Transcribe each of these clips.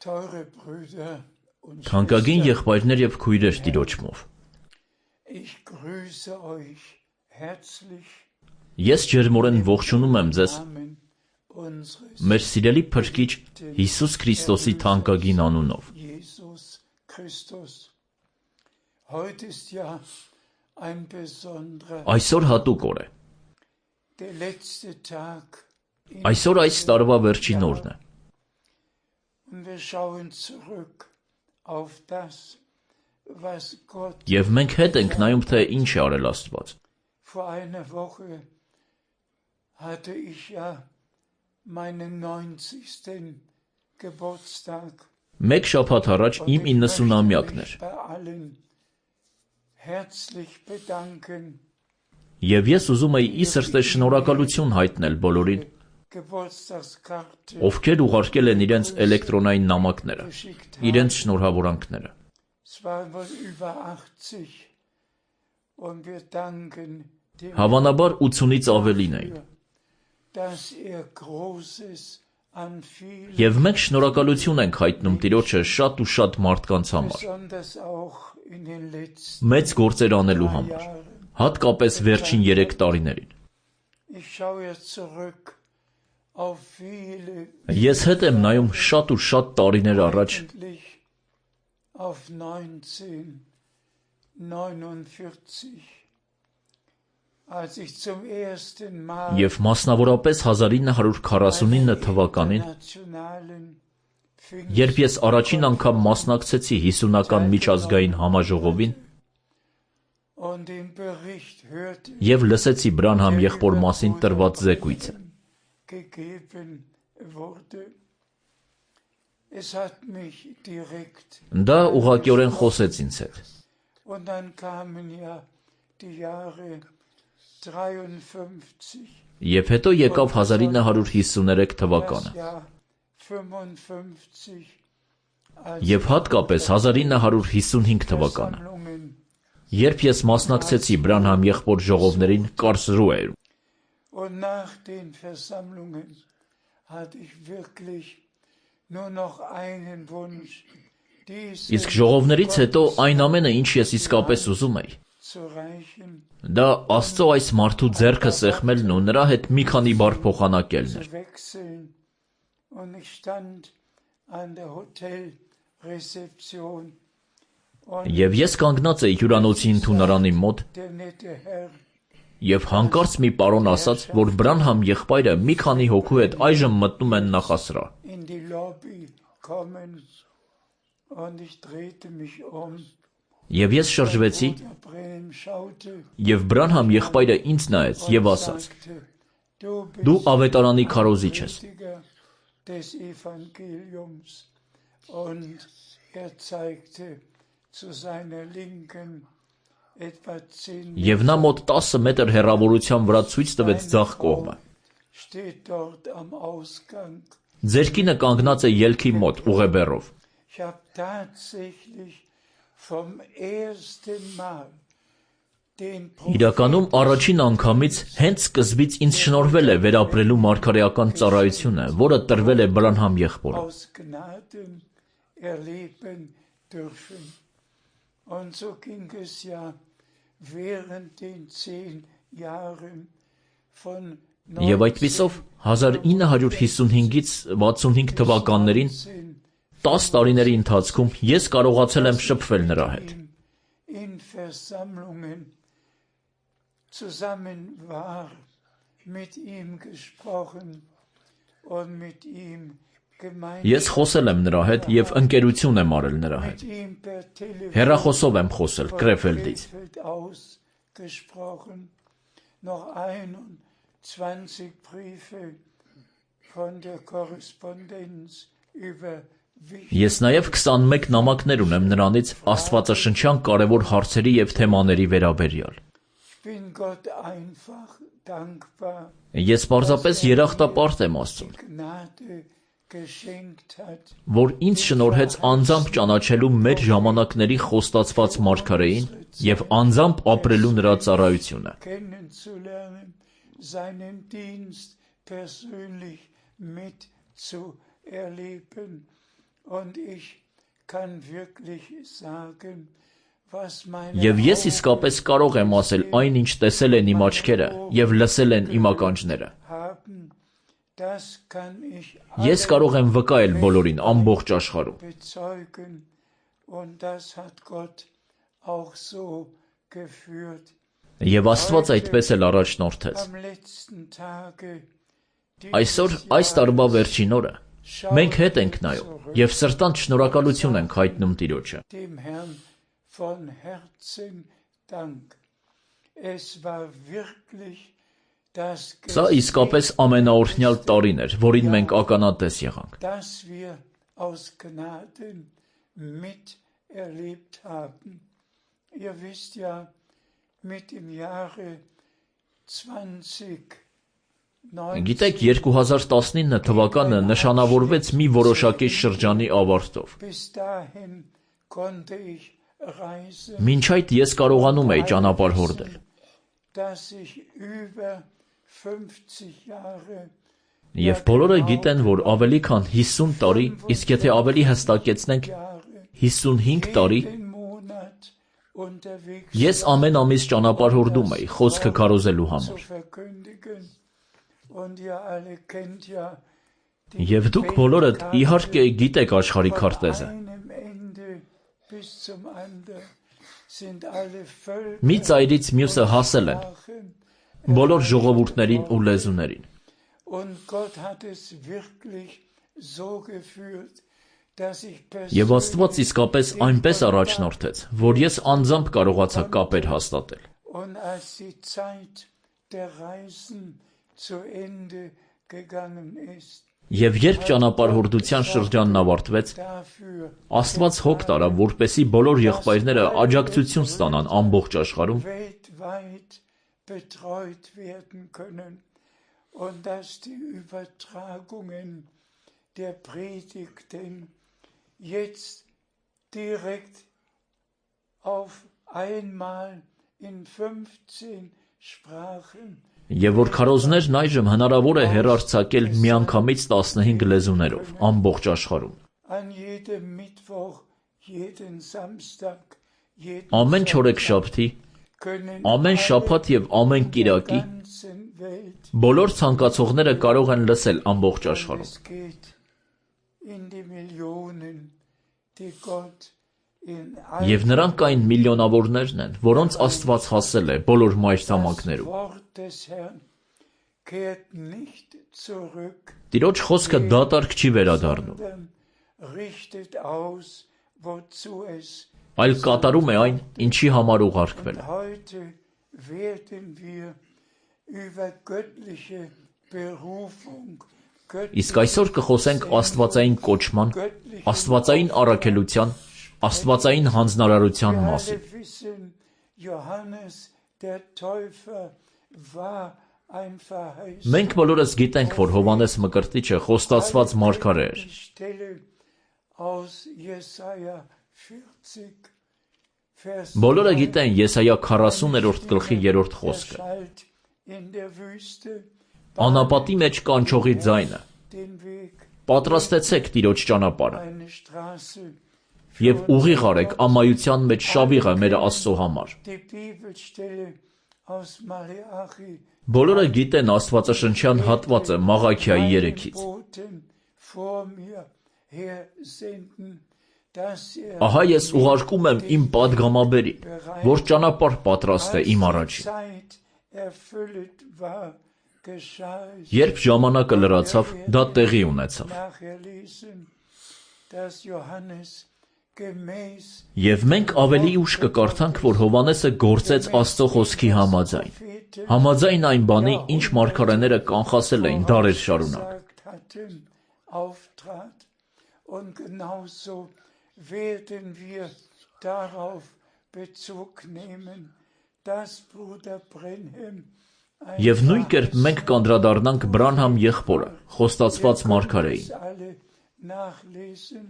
Teure Brüder und Թանկագին Schwestern, եղբայրներ եւ քույրեր Տիրոջմով, ich grüße euch herzlich ես ջերմորեն ողջունում եմ im ձեզ Namen unseres մեր սիրելի Փրկիչ Հիսուս Քրիստոսի թանկագին անունով։ Jesus Christus. Heute ist ja ein besonderer, Այսօր հատուկ օր է։ der letzte Tag in Այսօր այս տարվա վերջին օրն է։ und wir schauen zurück auf das, was Gott Եվ մենք հետ ենք նայում, թե ինչ է արել Աստված։ vor einer Woche hatte ich ja meinen 90. Geburtstag. Մեկ շաբաթ առաջ Und իմ ich möchte 90-ամյակն mich էր, bei allen herzlich bedanken, եւ ես ուզում էի ի սրտե շնորհակալություն հայտնել բոլորին, Geburtstagskarte ովքեր ուղարկել են իրենց էլեկտրոնային նամակները, geschickt իրենց haben. շնորհավորանքները։ Es waren wohl über 80 und wir danken dem Հավանաբար 80-ից ավելին էին։ dafür, dass Großes an vielen, Եվ մենք շնորհակալություն ենք հայտնում Տիրոջը շատ ու շատ մարդկանց համար, besonders auch in den letzten մեծ գործեր անելու համար, Jahren. հատկապես վերջին 3 տարիներին։ Ich schaue jetzt zurück auf viele, Ես հետ եմ նայում շատ ու շատ տարիներ առաջ, eigentlich auf 1949, als ich zum ersten Mal եւ մասնավորապես 1949 թվականին, internationalen երբ ես առաջին անգամ մասնակցեցի 50-ական միջազգային համաժողովին und den Bericht hörte, եւ լսեցի Բրանհամ եղբոր մասին տրված զեկույցը։ gegeben wurde. Es hat mich direkt, Դա ուղղակիորեն խոսեց ինձ հետ։ und dann kamen ja die Jahre 53, Եվ հետո եկավ 1953 թվականը, das Jahr 55, եւ հատկապես 1955 թվականը, Versammlungen. երբ ես մասնակցեցի Բրանհամ եղբոր ժողովներին Կարսրուեում։ Und nach den Versammlungen hatte ich wirklich nur noch einen Wunsch, diese Իսկ ժողովներից հետո այն ամենը, ինչ ես իսկապես ուզում էի, zu reichen. դա Աստծո այս մարդու ձեռքը սեղմելն ու նրա հետ մի քանի բառ փոխանակելն էր։ Zu wechseln. Und ich stand an der Hotelrezeption und Եվ ես կանգնած էի հյուրանոցի ընդունարանի մոտ der nette Herr եւ հանկարծ մի պարոն ասաց, որ Բրանհամ եղբայրը մի քանի հոգու հետ այժմ մտնում են նախասրահ։ in die Lobby kommen und ich drehte mich um. Եվ ես շրջվեցի Bruder Brenhem schaute եւ Բրանհամ եղբայրը ինձ նայեց եւ und ասաց. sagte, Դու ավետարանի քարոզիչ ես։ Prediger des Evangeliums. Und zeigte zu seiner Linken etwa 10 Եվ նա մոտ 10 մետր հեռավորության վրա ցույց տվեց ձախ կողմը։ steht dort am Ausgang. Ձեր կինը կանգնած է ելքի մոտ ուղեբեռով։ Ich habe tatsächlich vom ersten Mal den Իրականում առաջին անգամից հենց սկզբից ինձ շնորհվել է վերապրելու մարգարեական ծառայությունը, որը տրվել է Բրանհամ եղբորը։ aus Gnaden erleben dürfen. Und so ging es ja während den 10 Jahren von Եվ այդպիսով 1955-ից 65 թվականներին 10 տարիների ընթացքում ես կարողացել եմ շփվել նրա հետ։ in Versammlungen zusammen war, mit ihm gesprochen und mit ihm Ես խոսել եմ նրա հետ եւ ընկերություն եմ արել նրա հետ։ Հեռախոսով եմ խոսել Կրեֆելդից։ Noch 21 Briefe von der Korrespondenz über Ես նաև 21 նամակներ ունեմ նրանից աստվածաշնչյան կարևոր հարցերի եւ թեմաների վերաբերյալ։ Ես պարզապես երախտապարտ եմ Աստծուն, որ ինձ շնորհեց անձամբ ճանաչելու մեր ժամանակների խոստացված մարգարեին եւ անձամբ ապրելու նրա ծառայությունը։ seinen Dienst persönlich mitzuerleben Und ich kann wirklich sagen, was meine Եվ ես իսկապես կարող եմ ասել այն, ինչ տեսել են իմ աչքերը և լսել են իմ ականջները։ haben, das kann ich Ես կարող եմ վկայել բոլորին ամբողջ աշխարհում։ bezeugen. Und das hat Gott auch so geführt. Եվ Աստված այդպես էլ առաջնորդեց։ Am letzten Tage Այսօր այս տարվա վերջին օրը մենք հետ ենք նայում և սրտանց շնորհակալություն ենք հայտնում Տիրոջը։ dem Herrn von Herzen Dank. Es war wirklich das Սա իսկապես ամենաօրհնյալ տարին էր, որին մենք ականատես եղանք։ das wir aus Gnaden miterlebt haben. Ihr wisst ja, mit dem Jahre 2019 Գիտեք, 2019 թվականը նշանավորվեց մի որոշակի շրջանի ավարտով։ bis dahin konnte ich reisen, Մինչ այդ ես կարողանում էի ճանապարհ հորդել։ dass ich über 50 Jahre Եվ բոլորը գիտեն, որ ավելի քան 50 տարի, իսկ եթե ավելի հստակեցնենք 55 տարի, jeden Monat unterwegs ես ամեն ամիս ճանապարհ հորդում էի խոսքը քարոզելու zu համար։ verkündigen. Und ihr alle kennt ja Եվ դուք բոլորդ իհարկե գիտեք աշխարհի քարտեզը։ einem Ende bis zum anderen sind alle Völker Մի ծայրից մյուսը հասել են բոլոր ժողովուրդներին ու լեզուներին։ und Gott hat es wirklich so geführt, dass ich Եվ Աստված իսկապես այնպես առաջնորդեց, որ ես անձամբ կարողացա կապեր հաստատել։ und als die Zeit der Reisen zu Ende gegangen ist, Եվ երբ ճանապարհորդության շրջանն ավարտվեց, dafür Աստված հոգ տարավ, որպեսզի բոլոր եղբայրները աջակցություն ստանան ամբողջ աշխարհում, weltweit betreut werden können und dass die Übertragungen der Predigten jetzt direkt auf einmal in 15 Sprachen եւ որ քարոզներն այժմ հնարավոր է հեռարձակել միանգամից 15 լեզուներով ամբողջ աշխարհում։ an jedem Mittwoch, jeden Samstag, jeden Ամեն չորեքշաբթի, können ամեն շաբաթ եւ ամեն կիրակի ganzen Welt. բոլոր ցանկացողները կարող են լսել ամբողջ աշխարհում։ Es geht in die Millionen, die Gott in Եվ նրանք այն միլիոնավորներն են, որոնց Աստված հասել է բոլոր մայրցամաքներում։ Wort des Herrn kehrt nicht zurück, Տիրոջ խոսքը դատարկ չի վերադառնում, sondern richtet aus, wozu es. այլ կատարում է այն, ինչի համար ուղարկվել է։ Heute werden wir über göttliche Berufung, Իսկ այսօր կխոսենք աստվածային կոչման, աստվածային առաքելության, աստվածային հանձնարարության Wir մասին։ alle wissen, Johannes der Täufer war ein Verheißer. Մենք բոլորս գիտենք, որ Հովհաննես Մկրտիչը խոստացված մարգարե էր։ Die Stelle aus Jesaja 40, Vers Բոլորը գիտեն Եսայա 40-րդ գլխի 3-րդ խոսքը։ Schalt in der Wüste Անապատի մեջ կանչողի ձայնը. den Weg, Պատրաստեցեք Տիրոջ ճանապարհը eine Straße. եւ ուղիղ արեք ամայության մեջ շավիղը մեր Աստծո համար։ Die Bibelstelle aus Maleachi. Բոլորը գիտեն Աստվածաշնչյան հատվածը Մաղաքիայի 3-ից։ Boten vor mir her senden, dass Ահա ես ուղարկում եմ իմ падգամաբերին, որ ճանապարհ պատրաստե իմ առաջին։ Zeit erfüllt war, geschah es. Երբ ժամանակը լրացավ, դա տեղի ունեցավ։ Nachher lesen, dass Johannes gemäß Եվ մենք ավելի ուշ կկարդանք, որ Հովհաննեսը գործեց Աստծո խոսքի համաձայն։ Համաձայն այն բանի, ինչ մարգարեները կանխասել էին դարեր շարունակ։ gesagt hatten, auftrat. Und genauso werden wir darauf Bezug nehmen, dass Bruder Brenhem Եվ նույն կերպ մենք կանդրադառնանք Բրանհամ եղբորը, խոստացված մարգարեին։ alle nachlesen.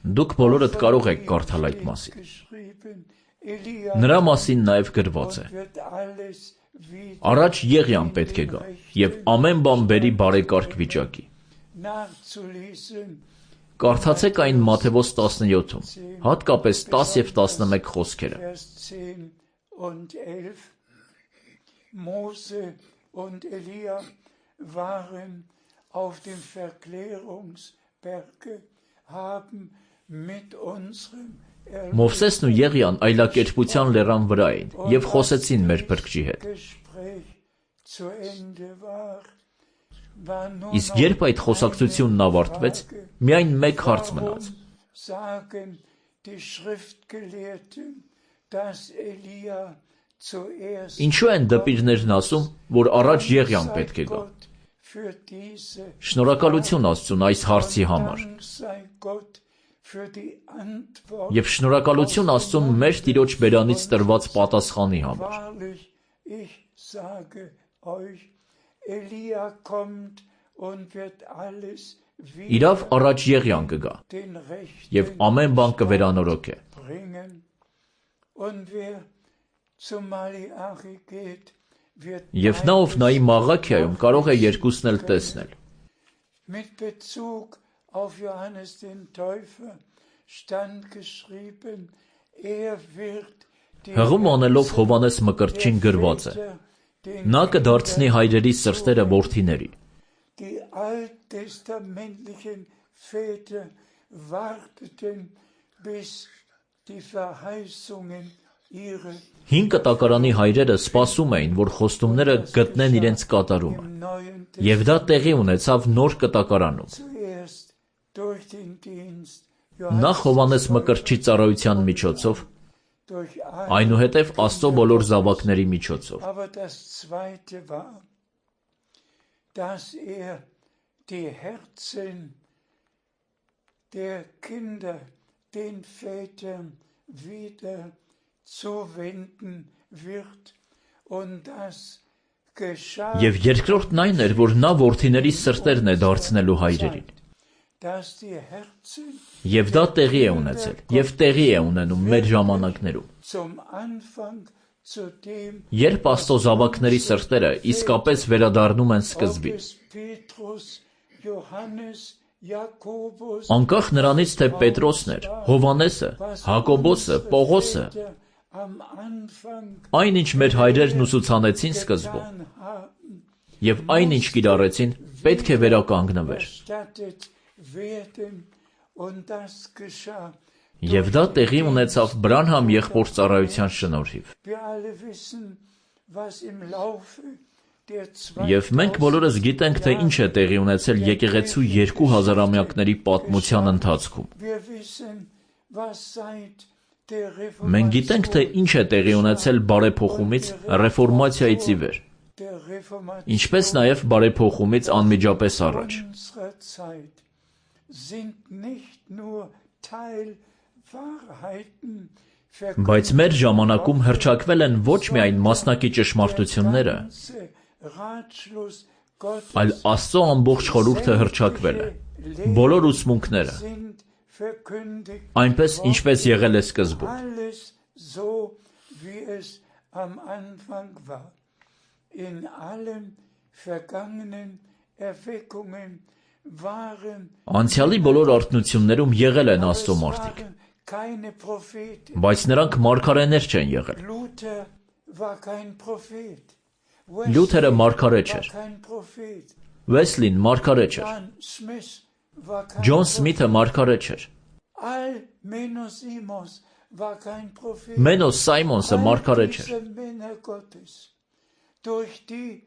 Դուք բոլորդ կարող եք կարդալ այդ մասին։ Geschrieben, Elia Նրա մասին նաև գրված է. wird alles wieder Առաջ Եղիան պետք է գա, եւ ամեն բան բերի բարեկարգ վիճակի։ nachzulesen. Կարդացեք այն Մատթեոս 17-ում, հատկապես 10 և 11 խոսքերը։ Vers 10 und 11. Mose und Elia waren auf dem Verklärungsberge, haben mit unserem Մովսեսն ու Եղիան այլակերպության լեռան վրա էին և խոսեցին մեր Փրկչի հետ։ Gespräch zu Ende war, war nur Իսկ երբ այդ խոսակցությունն ավարտվեց, միայն մեկ հարց մնաց. sagen die Schriftgelehrten, dass Elia zuerst Ինչու են դպիրներն ասում, որ առաջ Եղիան պետք է գա։ Gott für diese Շնորհակալություն Աստծուն այս հարցի համար։ Dank sei Gott für die Antwort. Եվ շնորհակալություն Աստծուն մեր Տիրոջ բերանից տրված պատասխանի համար։ Wahrlich, ich sage euch, Elia kommt und wird alles Իրավ առաջ Եղիան կգա den Rechten և ամեն բան կվերանորոգե։ bringen. Und wer zu Maleachi geht, wird Եվ նա ով նայի Մաղաքիայում կարող է երկուսն էլ տեսնել։ mit Bezug auf Johannes den Täufer stand geschrieben, wird die Հղում անելով Հովանես Մկրտչին գրված է. Նա կդարձնի հայրերի սրտերը որդիների։ Die alttestamentlichen Väter warteten, bis die Verheißungen ihre Հին կտակարանի հայրերը սպասում էին, որ խոստումները գտնեն իրենց կատարումը։ im Neuen Եվ դա տեղի ունեցավ նոր կտակարանում։ zuerst durch den Dienst Նախ Հովանես Մկրտչի ծառայության միջոցով, durch այնուհետև Աստծո բոլոր զավակների միջոցով։ Aber das Zweite war, dass die Herzen der Kinder den Vätern wieder zuwenden wird und das geschah, Եվ երկրորդն այն էր, որ նա որդիների սրտերն է դարձնելու հայրերին։ dass die Herzen Եվ դա տեղի է ունեցել, և տեղի է ունենում մեր ժամանակներում։ zum Anfang zu dem Երբ Աստծո զավակների սրտերը իսկապես վերադառնում են սկզբին, ob es Petrus, Johannes, Jakobus, անկախ նրանից, թե Պետրոսն էր, Հովանեսը, Հակոբոսը, Պողոսը, am Anfang այն ինչ մեր հայրերն ուսուցանեցին սկզբում, getan haben, և այն ինչ կիրառեցին, պետք է վերականգնվեր։ erstattet werden und das geschah. Եվ դա տեղի ունեցավ Բրանհամ եղբոր ծառայության շնորհիվ։ Wir alle wissen, was im Laufe der Եվ մենք բոլորս գիտենք, թե ինչ է տեղի ունեցել եկեղեցու 2000-ամյակների պատմության ընթացքում։ Wir wissen, was seit der Մենք գիտենք, թե ինչ է տեղի ունեցել բարեփոխումից, ռեֆորմացիայից ի վեր, der Reformation ինչպես նաև բարեփոխումից անմիջապես առաջ։ unserer Zeit sind nicht nur Teilwahrheiten Բայց մեր ժամանակում հռչակվել են ոչ միայն մասնակի ճշմարտությունները, Ratschluss Gottes այլ Աստծո ամբողջ խորհուրդը հռչակվել է, բոլոր ուսմունքները, sind verkündigt, այնպես ինչպես եղել է սկզբում։ alles so, wie es am Anfang war. In allen vergangenen Erweckungen waren Անցյալի բոլոր արթնություններում եղել են Աստծո մարդիկ, keine Propheten. բայց նրանք մարգարեներ չեն եղել։ Luther war kein Prophet. Լյութերը մարգարե war չէր, kein Prophet. Վեսլին մարգարե չէր, John Smith war kein Ջոն Prophet. Սմիթը մարգարե չէր, Menos war kein Prophet. Մենոս Սայմոնսը մարգարե չէր։ Diese Männer Gottes, durch die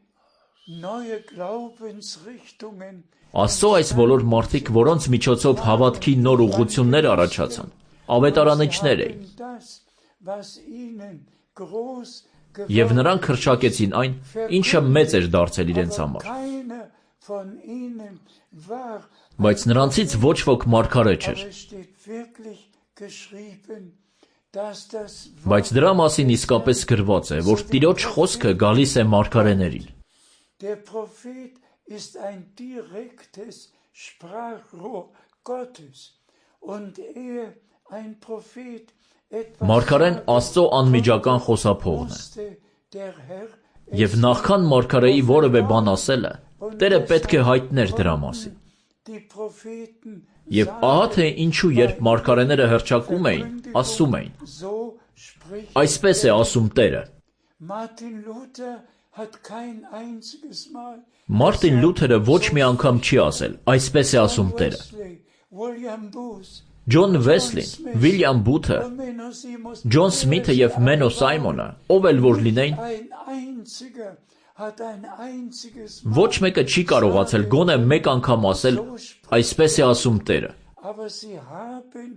neue Glaubensrichtungen Աստծո այս բոլոր մարդիկ, որոնց միջոցով հավատքի նոր ուղղություններ առաջացան, ավետարանիչներ էին, haben das, was ihnen groß և նրանք հռչակեցին այն, ինչը մեծ էր դարձել իրենց համար։ keiner von ihnen war, Բայց նրանցից ոչ ոք մարգարե չէր, aber es steht wirklich geschrieben, dass das բայց դրա մասին իսկապես գրված է, որ Տիրոջ խոսքը գալիս է մարգարեներին։ der Prophet ist ein direktes Sprachrohr Gottes und ein Prophet etwas Մարգարեն Աստծո անմիջական խոսափողն է, musste der Herr և նախքան մարգարեի որևէ բան ասելը, Տերը պետք է հայտներ դրա մասին։ die Propheten Եվ ահա թե ինչու երբ մարգարեները հռչակում էին, ասում էին. so spricht. Այսպես է ասում Տերը։ Martin Luther hat kein einziges Mal Մարտին Լութերը ոչ մի անգամ չի ասել, այսպես է ասում Տերը։ Wesley, William Booth, Ջոն Վեսլին, Վիլյամ Բութը, Menno Simons, Ջոն Սմիթը եւ Մենո Սայմոնը, ով էլ որ լինեին, ein einziger hat ein einziges ոչ մեկը չի կարողացել գոնե մեկ անգամ ասել, այսպես է ասում Տերը։ aber sie haben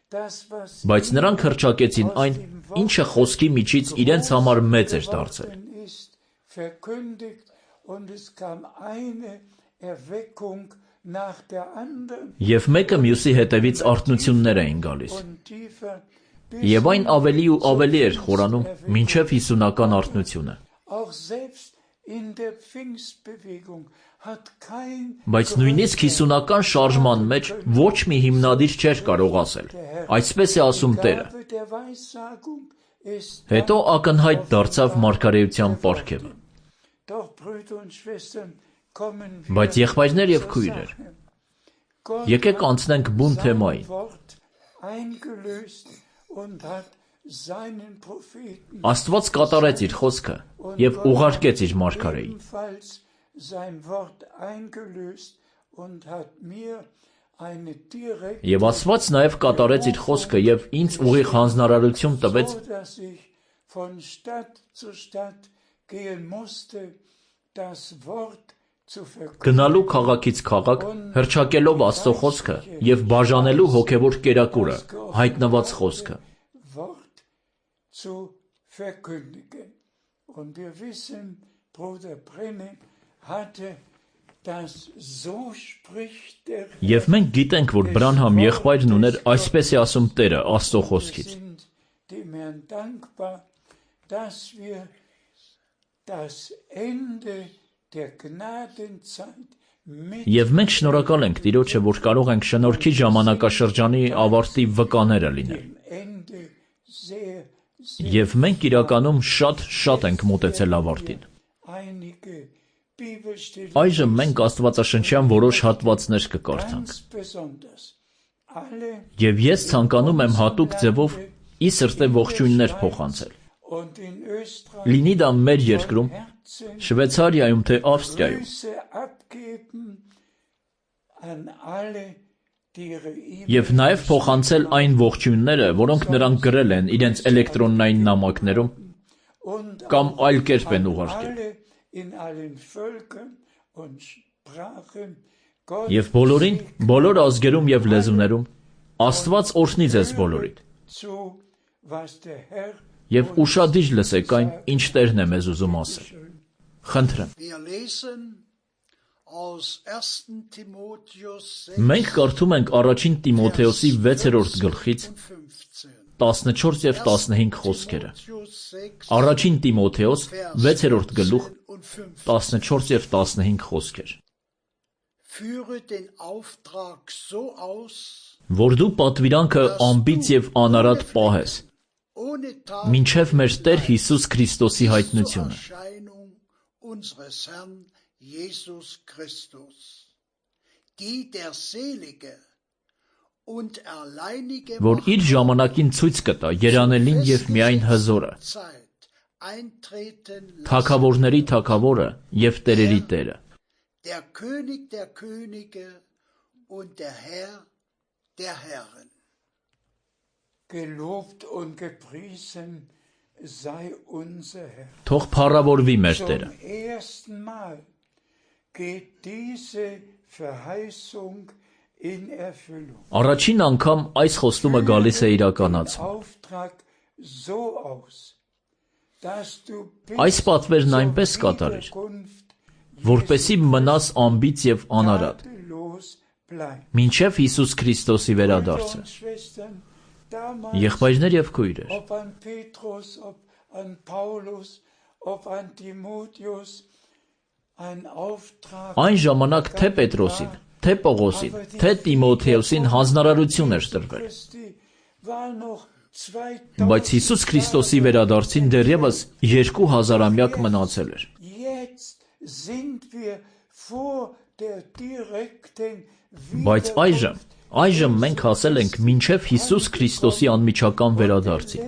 das, was Բայց նրանք հռչակեցին այն, ինչը խոսքի միջից իրենց համար մեծ էր դարձել։ ist, verkündigt, und es kam eine Erweckung nach der anderen Եվ մեկը մյուսի հետևից արթնություններ էին գալիս։ und tiefer Եվ այն ավելի ու ավելի էր խորանում, մինչև 50-ական արթնությունը։ auch selbst in der Pfingstbewegung hat kein Բայց նույնիսկ 50-ական շարժման մեջ ոչ մի հիմնադիր չէր կարող ասել։ Այսպես է ասում Տերը։ Gabe der Weissagung ist Հետո ակնհայտ դարձավ մարգարեության պարգևը։ doch Brüder und Schwestern kommen Բայց եղբայրներ եւ քույրեր, Gott եկեք անցնենք բուն թեմային։ Wort eingelöst und hat seinen Propheten Աստված կատարեց իր խոսքը եւ ուղարկեց իր մարգարեին։ ebenfalls sein Wort eingelöst und hat mir eine direkte Եվ Աստված նաեւ կատարեց իր խոսքը եւ ինձ ուղիղ հանձնարարություն տվեց, so dass ich von Stadt zu Stadt gehen musste, das Wort zu verkünden գնալու քաղաքից քաղաք, հրճակելով Աստծո խոսքը եւ բաժանելու հոգեվոր կերակուրը, հայտնված խոսքը։ Wort zu verkündigen. Und wir wissen, Bruder Brennan hatte das so spricht der Եվ մենք գիտենք, որ Բրանհամ եղբայրն ուներ այսպես է ասում Տերը Աստծո խոսքից։ sind dem Herrn dankbar, dass wir das Ende der Gnadenzeit mit Եվ մենք շնորհակալ ենք Տիրոջը, որ կարող ենք շնորհքի ժամանակաշրջանի ավարտի վկաները լինել։ dem Ende sehr, Եվ մենք իրականում շատ ենք մոտեցել ավարտին։ einige Bibelstellen, Այժմ մենք Աստվածաշնչյան որոշ հատվածներ կկարդանք։ ganz besonders alle Եվ ես ցանկանում եմ հատուկ ձևով ի սրտե ողջույններ փոխանցել։ und in Österreich Լինի դա մեր երկրում, Herzen Շվեյցարիայում թե Ավստրիայում, Grüße abgeben an alle, die ihre եւ նաեւ փոխանցել այն ողջույնները, որոնք նրանք գրել են իրենց էլեկտրոնային նամակներում und կամ այլ կերպ են ուղարկել։ alle in allen Völkern und Sprachen Gott Եվ բոլորին, բոլոր ազգերում եւ լեզուներում Աստված օրհնի ձեզ բոլորիդ։ zu, was der Herr Եվ ուշադիր լսեք այն, ինչ Տերն է մեզ ուզում ասել։ Խնդրեմ։ Wir lesen aus 1. Timotheus Մենք կարդում ենք առաջին Տիմոթեոսի 6-րդ գլխից 15. 14 եւ 15 խոսքերը։ Timotheus 6, Առաջին Տիմոթեոս 6-րդ գլուխ und 15. 14 եւ 15 խոսքեր։ Führe den Auftrag so aus, Որ դու պատվիրանքը ամբից եւ անարատ պահես, ohne մինչև մեր Տեր Հիսուս Քրիստոսի zur հայտնությունը, Erscheinung unseres Herrn Jesus Christus, die der selige und alleinige որ իր ժամանակին ցույց կտա երանելին եւ միայն հզորը, Zeit eintreten lassen, թագավորների թագավորը եւ տերերի Տերը, der König der Könige und der Herr der Herren. gelobt und gepriesen sei unser Herr. թող փառավորվի մեր Zum Տերը։ ersten Mal geht diese Verheißung in Erfüllung. Առաջին անգամ այս խոստումը գալիս է իրականացում։ Auftrag so aus, dass du Այս պատվերն այնպես կատարիր, Wiederkunft որպեսի մնաս ամբից եւ անարատ, tadellos bleibst. մինչև Հիսուս Քրիստոսի վերադարձը։ Und Schwestern, damals, Եղբայրներ եւ քույրեր, ob an Petrus, ob an Paulus, ob an Timotheus, ein Auftrag այն ժամանակ թե Պետրոսին, թե Պողոսին, թե Տիմոթեոսին հանձնարարություն էր տրվել, Christi war noch 2000 բայց Հիսուս Քրիստոսի վերադարձին դեռևս 2000-ամյակ մնացել էր։ Jetzt sind wir vor der direkten Բայց այժմ մենք հասել ենք մինչև Հիսուս Քրիստոսի անմիջական վերադարձին։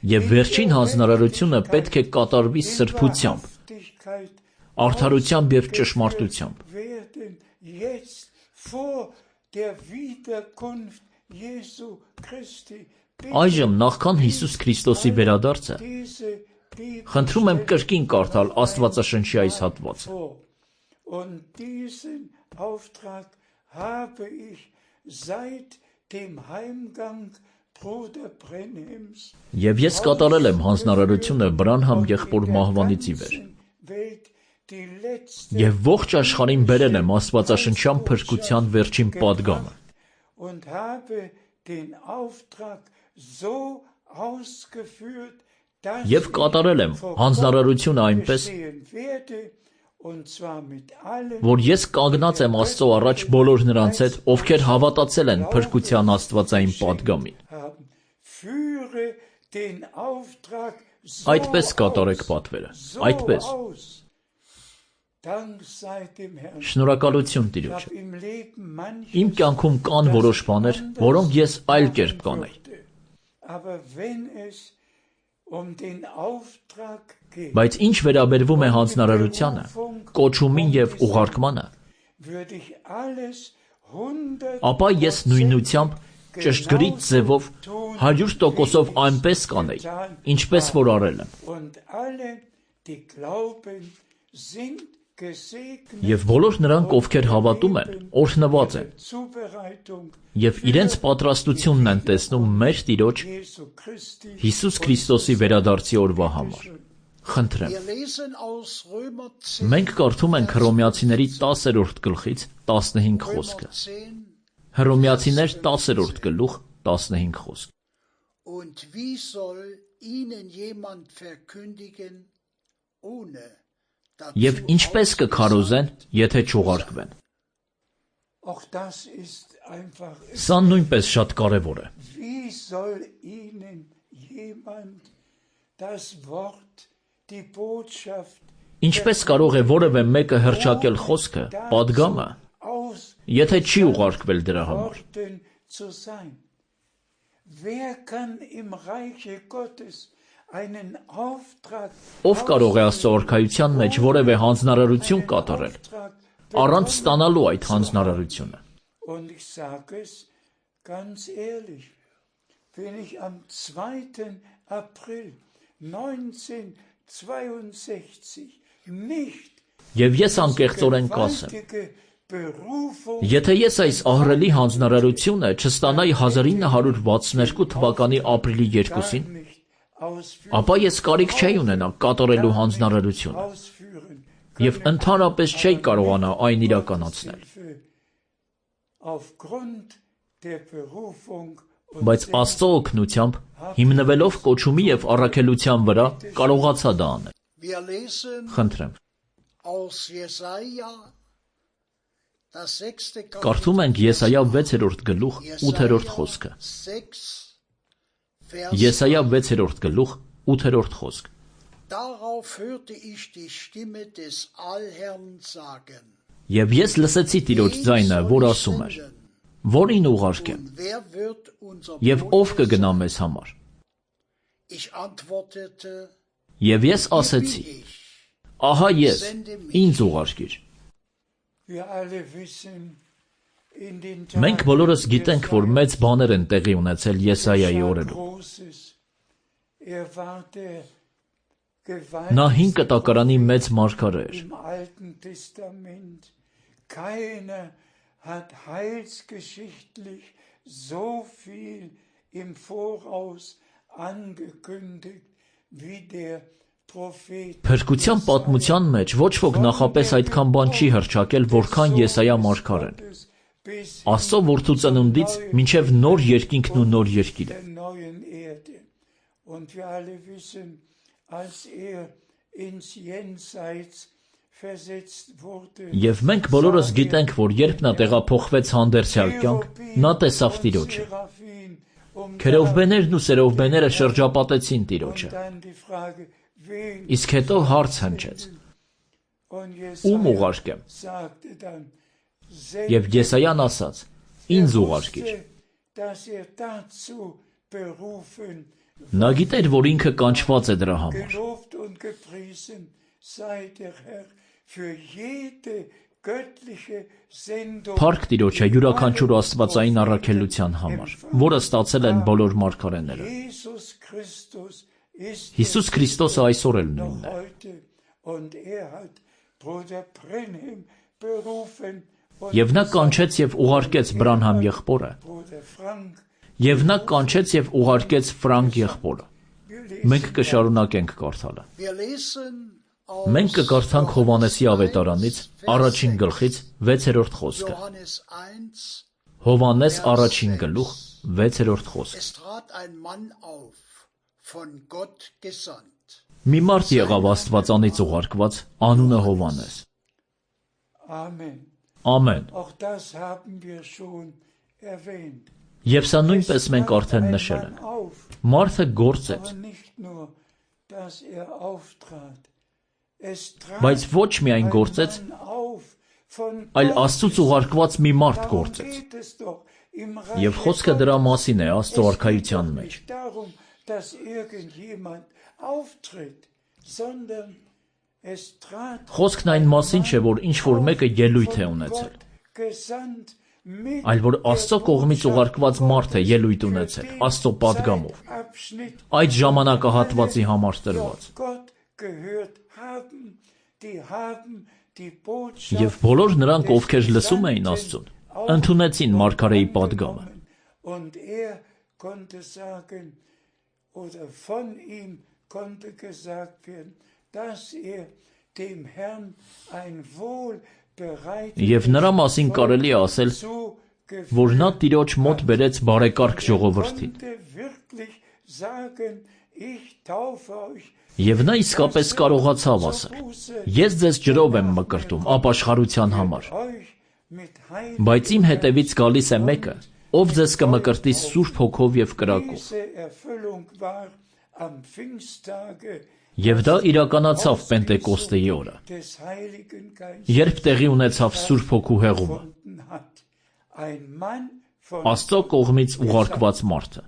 Եվ վերջին հանձնարարությունը պետք է կատարվի սրբությամբ, արդարությամբ և ճշմարտությամբ։ Այժմ նախքան Հիսուս Քրիստոսի վերադարձը, խնդրում եմ կրկին կարդալ Աստվածաշնչի այս հատվածը։ Եվ ես կատարել եմ հանձնարարությունը Բրանհամ եղբոր մահվանից ի վեր։ Եվ ողջ աշխարհին բերել եմ աստվածաշնչյան փրկության վերջին պատգամը։ Եվ կատարել եմ հանձնարարությունը այնպես, որ ես կանգնած եմ Աստծո առաջ բոլոր նրանց հետ, ովքեր հավատացել են փրկության աստվածային պատգամին։ Այդպես կատարեք պատվերը, այդպես։ Շնորհակալություն Տիրոջը։ Իմ կյանքում կան որոշ բաներ, որոնք ես այլ կերպ կանեի։ Բայց ինչ վերաբերվում է հանձնարարությանը, կոչումին և ուղարկմանը, ապա ես նույնությամբ ճշգրիտ ձևով 100%-ով այնպես կանեի, ինչպես որ արել եմ։ Եվ բոլոր նրանք, ովքեր հավատում են, օրհնված են, և իրենց պատրաստությունն են տեսնում մեր Տիրոջ Հիսուս Քրիստոսի վերադարձի օրվա համար։ Խնդրեմ։ Մենք կարդում ենք Հռոմեացիների 10-րդ գլխից 15 խոսքը։ Հռոմեացիներ 10-րդ գլուխ 15 խոսք։ Und wie soll ihnen jemand verkündigen, ohne Եվ ինչպես կքարոզեն, եթե չուղարկվեն։ Սա նույնպես շատ կարևոր է։ Ինչպես կարող է որևէ մեկը հռչակել խոսքը, պատգամը, եթե չի ուղարկվել դրա համար։ Ով կարող է Աստծո արքայության մեջ որևէ հանձնարարություն կատարել, առանց ստանալու այդ հանձնարարությունը։ Եվ ես անկեղծորեն կասեմ, եթե ես այս ահռելի հանձնարարությունը չստանայի 1962 թվականի ապրիլի 2-ին, ապա ես կարիք չէի ունենա կատարելու հանձնարարությունը և ընդհանրապես չէի կարողանա այն իրականացնել։ Բայց Աստծո օգնությամբ, հիմնվելով կոչումի և առաքելության վրա, կարողացա դա անել։ Խնդրեմ։ Կարդում ենք Եսայա 6-րդ գլուխ 8-րդ խոսքը։ Եսայա 6-րդ գլուխ 8-րդ խոսք։ Եվ ես լսեցի Տիրոջ ձայնը, որ ասում էր. Որին ուղարկեմ, և ով կգնա մեզ համար։ Եվ ես ասեցի. ահա ես, ինձ ուղարկիր։ Մենք բոլորս գիտենք, որ մեծ բաներ են տեղի ունեցել Եսայայի օրերում։ Նա հին կտակարանի մեծ մարգարե էր։ Փրկության պատմության մեջ ոչ ոք նախապես այդքան բան չի հռչակել, որքան Եսայա մարգարեն։ Աստծո որդու ծնունդից մինչև նոր երկինքն ու նոր երկիրը։ Եվ մենք բոլորս գիտենք, որ երբ նա տեղափոխվեց հանդերձյալ կյանք, նա տեսավ Տիրոջը։ Քերովբեներն ու սերովբեները շրջապատեցին Տիրոջը։ Իսկ հետո հարց հնչեց. ում ուղարկեմ։ Եվ Եսայան ասաց. ինձ ուղարկիր։ Նա գիտեր, որ ինքը կանչված է դրա համար։ Փառք Տիրոջը յուրաքանչյուր աստվածային առաքելության համար, որը ստացել են բոլոր մարգարեները։ Հիսուս Քրիստոսը այսօր էլ նույնն է։ Եվ նա կանչեց և ուղարկեց Բրանհամ եղբորը, և նա կանչեց և ուղարկեց Ֆրանկ եղբորը։ Մենք կշարունակենք կարդալը։ Մենք կկարդանք Հովհաննեսի ավետարանից առաջին գլխից 6-րդ խոսքը։ Հովհաննես առաջին գլուխ 6-րդ խոսքը։ Մի մարդ եղավ Աստվածանից ուղարկված, անունը Հովհաննես։ Ամեն։ Եվ սա նույնպես մենք արդեն նշել ենք։ Մարդը գործեց, բայց ոչ միայն գործեց, այլ Աստծուց ուղարկված մի մարդ գործեց։ Եվ խոսքը դրա մասին է Աստծո արքայության մեջ։ Խոսքն այն մասին չէ, որ ինչ-որ մեկը ելույթ է ունեցել, այլ որ Աստծո կողմից ուղարկված մարդ է ելույթ ունեցել, Աստծո պատգամով, այդ ժամանակահատվածի համար տրված։ Եվ բոլոր նրանք, ովքեր լսում էին Աստծուն, ընդունեցին մարգարեի պատգամը։ Եվ նրա մասին կարելի է ասել, որ նա Տիրոջ մոտ բերեց բարեկարգ ժողովրդին։ Եվ նա իսկապես կարողացավ ասել. ես ձեզ ջրով եմ մկրտում ապաշխարության համար, բայց իմ հետևից գալիս է մեկը, ով ձեզ կմկրտի Սուրբ Հոգով և կրակով։ Եվ դա իրականացավ Պենտեկոստեի օրը, երբ տեղի ունեցավ Սուրբ Հոգու հեղումը, Աստծո կողմից ուղարկված մարդը։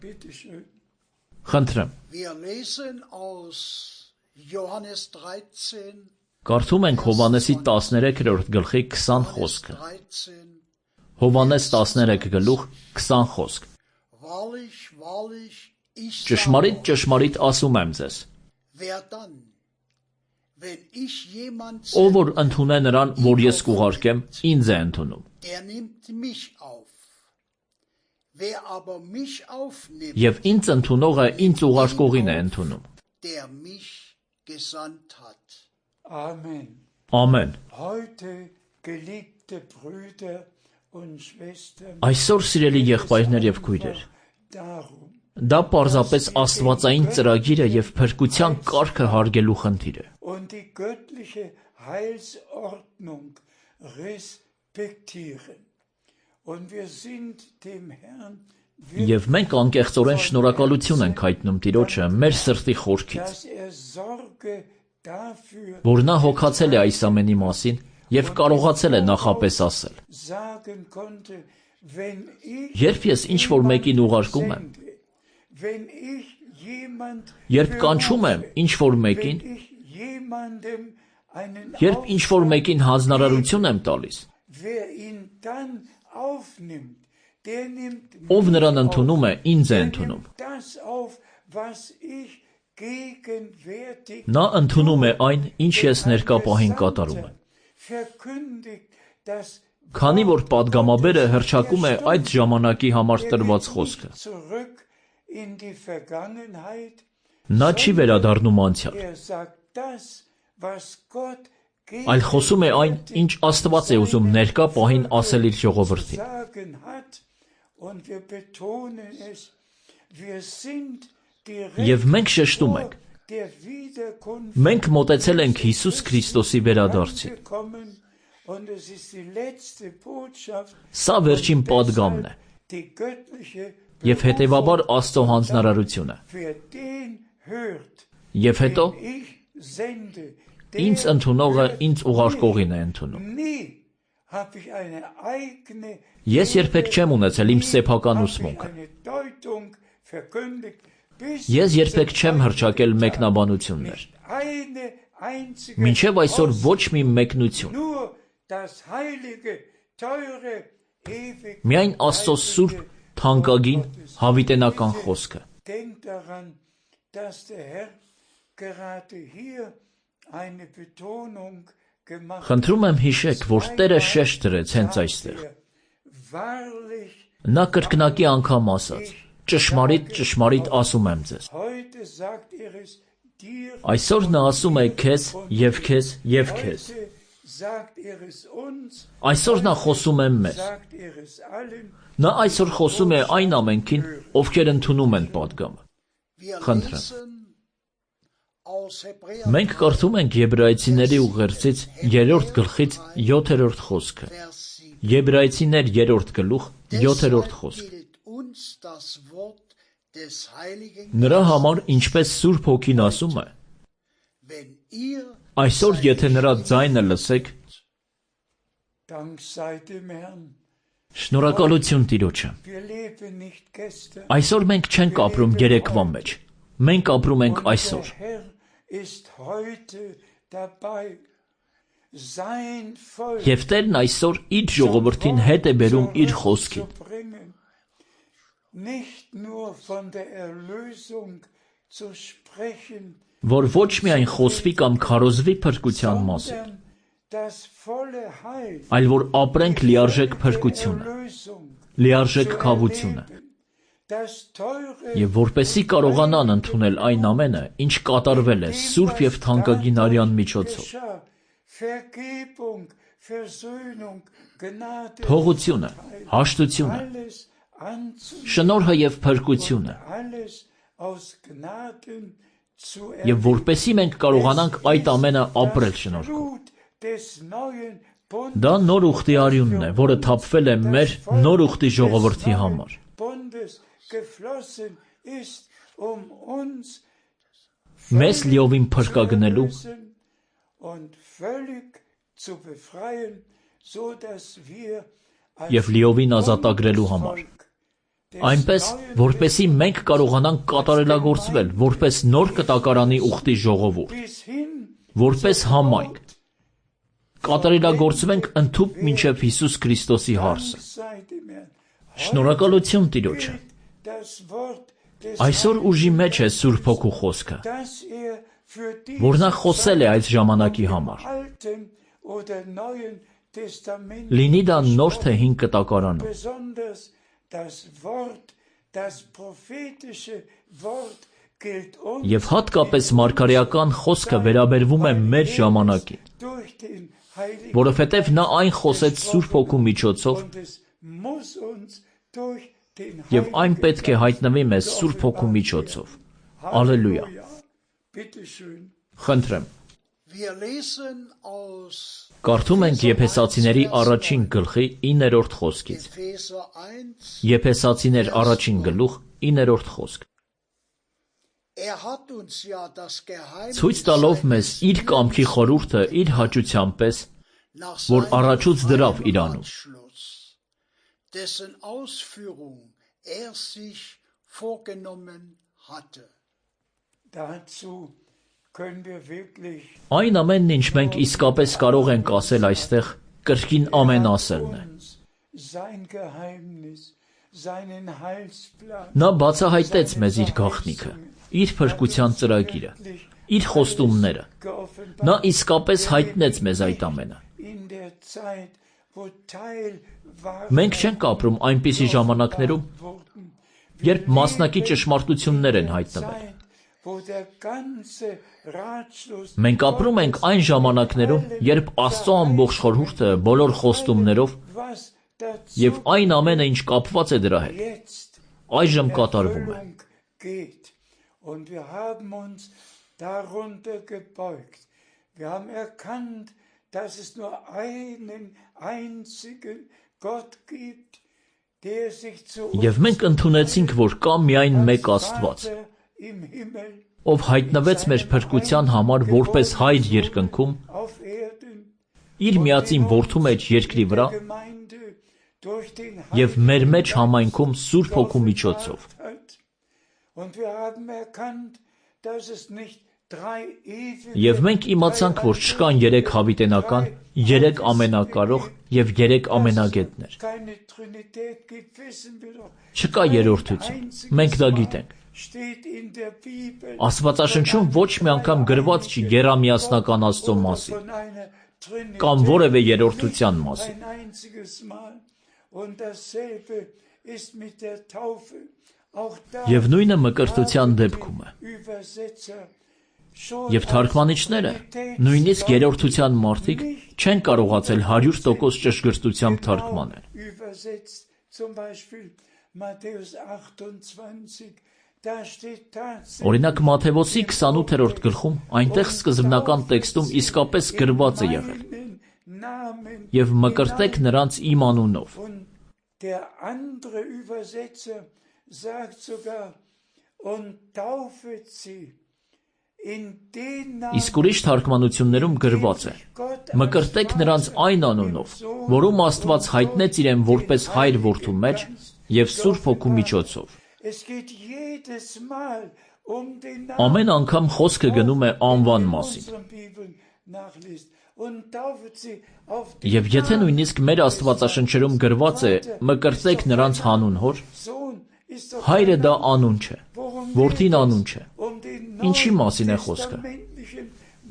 Խնդրեմ, կարդում ենք Հովհաննեսի 13-րդ գլխի 20 խոսքը։ Հովհաննես 13 գլուխ 20 խոսք։ Ճշմարիտ, ճշմարիտ ասում եմ ձեզ, ով որ ընդունե նրան, որ ես կուղարկեմ, ինձ է ընդունում։ Եվ ինձ ընդունողը ինձ ուղարկողին է ընդունում։ Ամեն։ Այսօր, սիրելի եղբայրներ և քույրեր, դա պարզապես աստվածային ծրագիր է և փրկության կարգը հարգելու խնդիր է։ Եվ մենք անկեղծորեն շնորհակալություն ենք հայտնում Տիրոջը մեր սրտի խորքից, որ նա հոգացել է այս ամենի մասին և կարողացել է նախապես ասել. երբ ես ինչ-որ մեկին ուղարկում եմ, երբ կանչում եմ ինչ-որ մեկին, երբ ինչ-որ մեկին հանձնարարություն եմ տալիս, ով նրան ընդունում է, ինձ է ընդունում։ Նա ընդունում է այն, ինչ ես ներկա պահին կատարում եմ։ Քանի որ պատգամաբերը հռչակում է այդ ժամանակի համար տրված խոսքը, նա չի վերադառնում անցյալ, այլ խոսում է այն, ինչ Աստված է ուզում ներկա պահին ասել իր ժողովրդին։ Եվ մենք շեշտում ենք. մենք մոտեցել ենք Հիսուս Քրիստոսի վերադարձին։ Սա վերջին պատգամն է և հետևաբար Աստծո հանձնարարությունը։ Եվ հետո, Ինձ ընդունողը ինձ ուղարկողին է ընդունում։ Ես երբեք չեմ ունեցել իմ սեփական ուսմունքը։ Ես երբեք չեմ հռչակել մեկնաբանություններ։ Մինչև այսօր ոչ մի մեկնություն։ Միայն Աստծո սուրբ, թանկագին, հավիտենական խոսքը։ Խնդրում եմ հիշեք, որ Տերը շեշտ դրեց հենց այստեղ։ Նա կրկնակի անգամ ասաց. ճշմարիտ, ճշմարիտ ասում եմ ձեզ։ Այսօր նա ասում է քեզ և քեզ և քեզ։ Այսօր նա խոսում է մեզ։ Նա այսօր խոսում է այն ամենքին, ովքեր ընդունում են պատգամը։ Խնդրեմ։ Մենք կարդում ենք Եբրայեցիների ուղերձից 3-րդ գլխից 7-րդ խոսքը։ Եբրայեցիներ 3-րդ գլուխ 7-րդ խոսք։ Նրա համար, ինչպես Սուրբ Հոգին ասում է, այսօր եթե նրա ձայնը լսեք, շնորհակալություն Տիրոջը։ Այսօր մենք չենք ապրում երեկվա մեջ, մենք ապրում ենք այսօր։ Եվ Տերն այսօր իր ժողովրդին հետ է բերում իր խոսքին։ Որ ոչ միայն խոսվի կամ քարոզվի փրկության մասին, այլ որ ապրենք լիարժեք փրկությունը, լիարժեք քավությունը, եւ որպեսզի կարողանան ընդունել այն ամենը, ինչ կատարվել է Սուրբ եւ թանկագին արյան միջոցով։ Փողությունը, հաշտությունը, շնորհը եւ փրկությունը, եւ որպեսզի մենք կարողանանք այդ ամենը ապրել շնորհքով։ Դա նոր ուխտի արյունն է, որը թափվել է մեր նոր ուխտի ժողովրդի համար։ Մեզ լիովին փրկագնելու եւ լիովին ազատագրելու համար։ Այնպես, որպեսզի մենք կարողանանք կատարելագործվել որպես նոր կտակարանի ուխտի ժողովուրդ, որպես համայնք, կատարելագործվենք ընդհուպ մինչև Հիսուս Քրիստոսի հարսը։ Շնորհակալություն Տիրոջը։ Այսօր ուժի մեջ է Սուրբ Հոգու խոսքը, որ նա խոսել է այս ժամանակի համար։ Լինի դա նոր թե հին կտակարանում։ Եվ հատկապես մարգարեական խոսքը վերաբերվում է մեր ժամանակին, որովհետև նա այն խոսեց Սուրբ Հոգու միջոցով, եւ այն պետք է հայտնվի մեզ Սուրբ Հոգու միջոցով։ Ալելույա։ Խնդրեմ։ Կարդում ենք Եփեսացիների առաջին գլխի 9-րդ խոսքից։ Եփեսացիներ առաջին գլուխ 9-րդ խոսք։ Ցույց տալով մեզ իր կամքի խորհուրդը իր հաճության պես, որ առաջուց դրավ իրանում։ Այն ամենն, ինչ մենք իսկապես կարող ենք ասել այստեղ, կրկին ամեն ասելն է։ Նա բացահայտեց մեզ իր գաղտնիքը, իր փրկության ծրագիրը, իր խոստումները։ Նա իսկապես հայտնեց մեզ այդ ամենը։ Մենք չենք ապրում այնպիսի ժամանակներում, երբ մասնակի ճշմարտություններ են հայտնվել։ Մենք ապրում ենք այն ժամանակներում, երբ Աստծո ամբողջ խորհուրդը բոլոր խոստումներով եւ այն ամենը, ինչ կապված է դրա հետ, այժմ կատարվում է։ Եվ մենք ընդունեցինք, որ կա միայն մեկ Աստված, ով հայտնվեց մեր փրկության համար որպես հայր երկնքում, իր միածին որդու մեջ երկրի վրա և մեր մեջ համայնքում Սուրբ Հոգու միջոցով։ Եվ մենք իմացանք, որ չկան երեք հավիտենական, երեք ամենակարող և երեք ամենագետներ։ Չկա երրորդություն, մենք դա գիտենք։ Աստվածաշնչում ոչ մի անգամ գրված չի եռամիասնական Աստծո մասին, կամ որևէ երրորդության մասին։ Եվ նույնը մկրտության դեպքում է։ Եվ թարգմանիչները, նույնիսկ երրորդության մարդիկ, չեն կարողացել 100% ճշգրտությամբ թարգմանել։ Օրինակ Մատթեոսի 28-րդ գլխում այնտեղ սկզբնական տեքստում իսկապես գրված է եղել. «Եվ մկրտեք նրանց իմ անունով»։ Իսկ ուրիշ թարգմանություններում գրված է. «Մկրտեք նրանց այն անունով, որում Աստված հայտնեց իրեն որպես հայր որդու մեջ և Սուրբ Հոգու միջոցով»։ Ամեն անգամ խոսքը գնում է անվան մասին։ Եվ եթե նույնիսկ մեր Աստվածաշնչերում գրված է «Մկրտեք նրանց հանուն հոր», հայրը դա անուն չէ, որդին անուն չէ։ Ինչի մասին է խոսքը։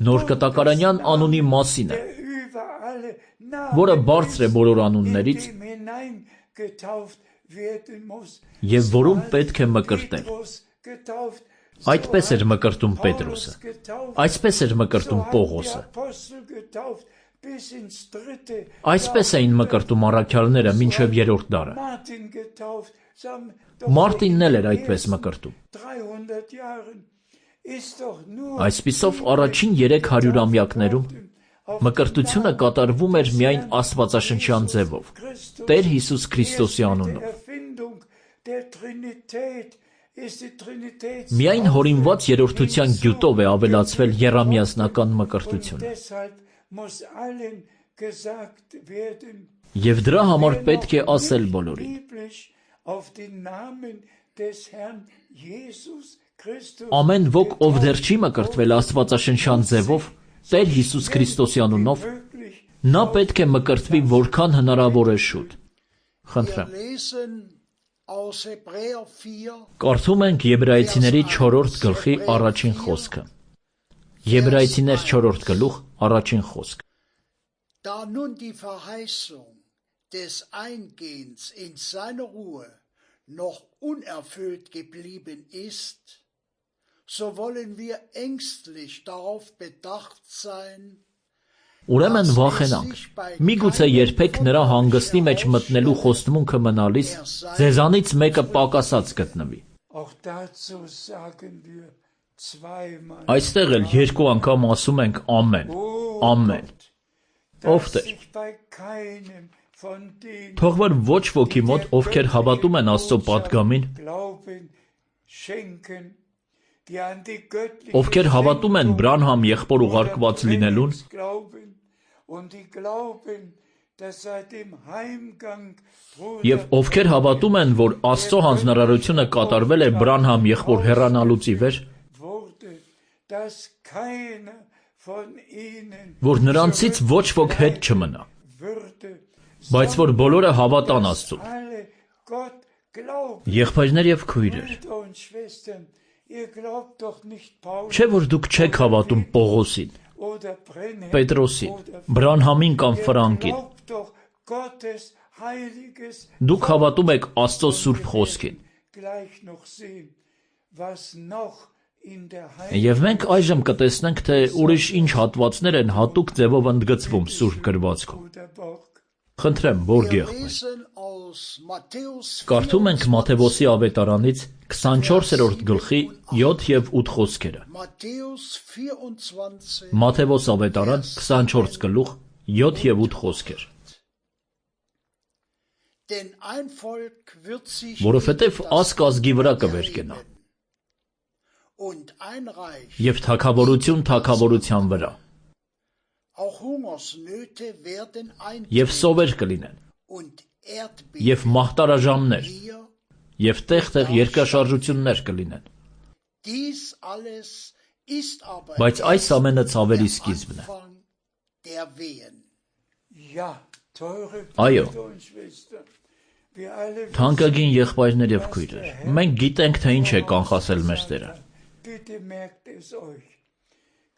Նոր կտակարանյան անունի մասին է, որը բարձր է բոլոր անուններից և որում պետք է մկրտել։ Այդպես էր մկրտում Պետրոսը, այսպես էր մկրտում Պողոսը, այսպես էին մկրտում առաքյալները մինչև երրորդ դարը։ Մարտինն էլ էր այդպես մկրտում։ Այսպիսով առաջին 300-ամյակներում մկրտությունը կատարվում էր միայն աստվածաշնչյան ձևով, Տեր Հիսուս Քրիստոսի անունով։ Միայն հորինված երրորդության գյուտով է ավելացվել եռամիասնական մկրտությունը։ Եվ դրա համար պետք է ասել բոլորին. ամեն ոք, ով դեռ չի մկրտվել աստվածաշնչյան ձևով, Տեր Հիսուս Քրիստոսի անունով, նա պետք է մկրտվի որքան հնարավոր է շուտ։ Խնդրեմ։ Կարդում ենք Եբրայեցիների 4-րդ գլխի առաջին խոսքը։ Եբրայեցիներ 4-րդ գլուխ առաջին խոսք։ Da nun die Verheißung des Eingehens in seine Ruhe noch unerfüllt geblieben ist, so wollen wir ängstlich darauf bedacht sein, Ուրեմն վախենանք, միգուցե երբեք նրա հանգստի մեջ մտնելու խոստմունքը մնալիս, ձեզանից մեկը պակասած գտնվի։ Այստեղ էլ երկու անգամ ասում ենք ամեն, ամեն։ Ով Տեր։ Թող որ ոչ ոքի մոտ, ովքեր հավատում են Աստծո պատգամին, ովքեր հավատում են Բրանհամ եղբոր ուղարկված լինելուն, և ովքեր հավատում են, որ Աստծո հանձնարարությունը կատարվել է Բրանհամ եղբոր հեռանալուց ի վեր, որ նրանցից ոչ ոք հետ չմնա, բայց որ բոլորը հավատան Աստծուն։ Եղբայրներ և քույրեր, չէ՞ որ դուք չեք հավատում Պողոսին, Պետրոսին, Բրանհամին կամ Ֆրանկին։ Դուք հավատում եք Աստծո Սուրբ Խոսքին։ Եվ մենք այժմ կտեսնենք, թե ուրիշ ինչ հատվածներ են հատուկ ձևով ընդգծվում Սուրբ գրվածքում։ Խնդրեմ, Բորգեխ։ Կարդում ենք Մատթեոսի ավետարանից 24-րդ գլխի 7 և 8 խոսքերը։ Մատթեոս ավետարան 24 գլուխ 7 և 8 խոսքեր։ Որովհետև ազգ ազգի վրա կվերկենա, und ein Reich. Եվ թագավորություն թագավորության վրա, Auch Hungersnöte werden եւ սովեր կլինեն, und Erdbeben եւ մահտարաժամներ, hier. եւ տեղ-տեղ երկրաշարժություններ կլինեն։ Dies alles ist aber Բայց այս erst ամենը ցավերի der սկիզբն է։ Anfang der Wehen. Ja, teure Ajo. Brüder und Schwestern, wir alle Թանկագին եղբայրներ եւ քույրեր, մենք գիտենք, թե ինչ է կանխասել մեր Տերը։ bitte merkt es euch.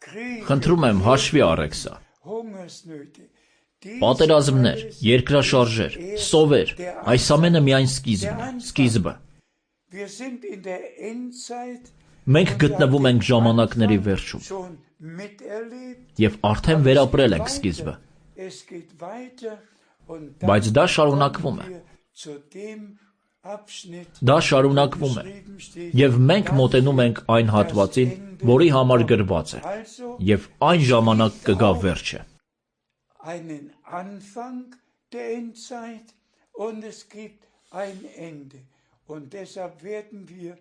Kriege, Խնդրում եմ հաշվի առեք սա։ Hungersnöte, dies Պատերազմներ, alles երկրաշարժեր, սովեր, այս ամենը միայն սկիզբն է, սկիզբը։ Wir sind in der Endzeit Մենք գտնվում ենք ժամանակների վերջում schon miterlebt. եւ արդեն վերապրել ենք սկիզբը, Es geht weiter und բայց դա dann շարունակվում է։ kommen wir zu dem Abschnitt, Դա շարունակվում է geschrieben steht, եւ մենք մոտենում ենք այն հատվածին, որի համար գրված է, also եւ այն ժամանակ կգա վերջը։ einen Anfang der Endzeit und es gibt ein Ende. Und deshalb werden wir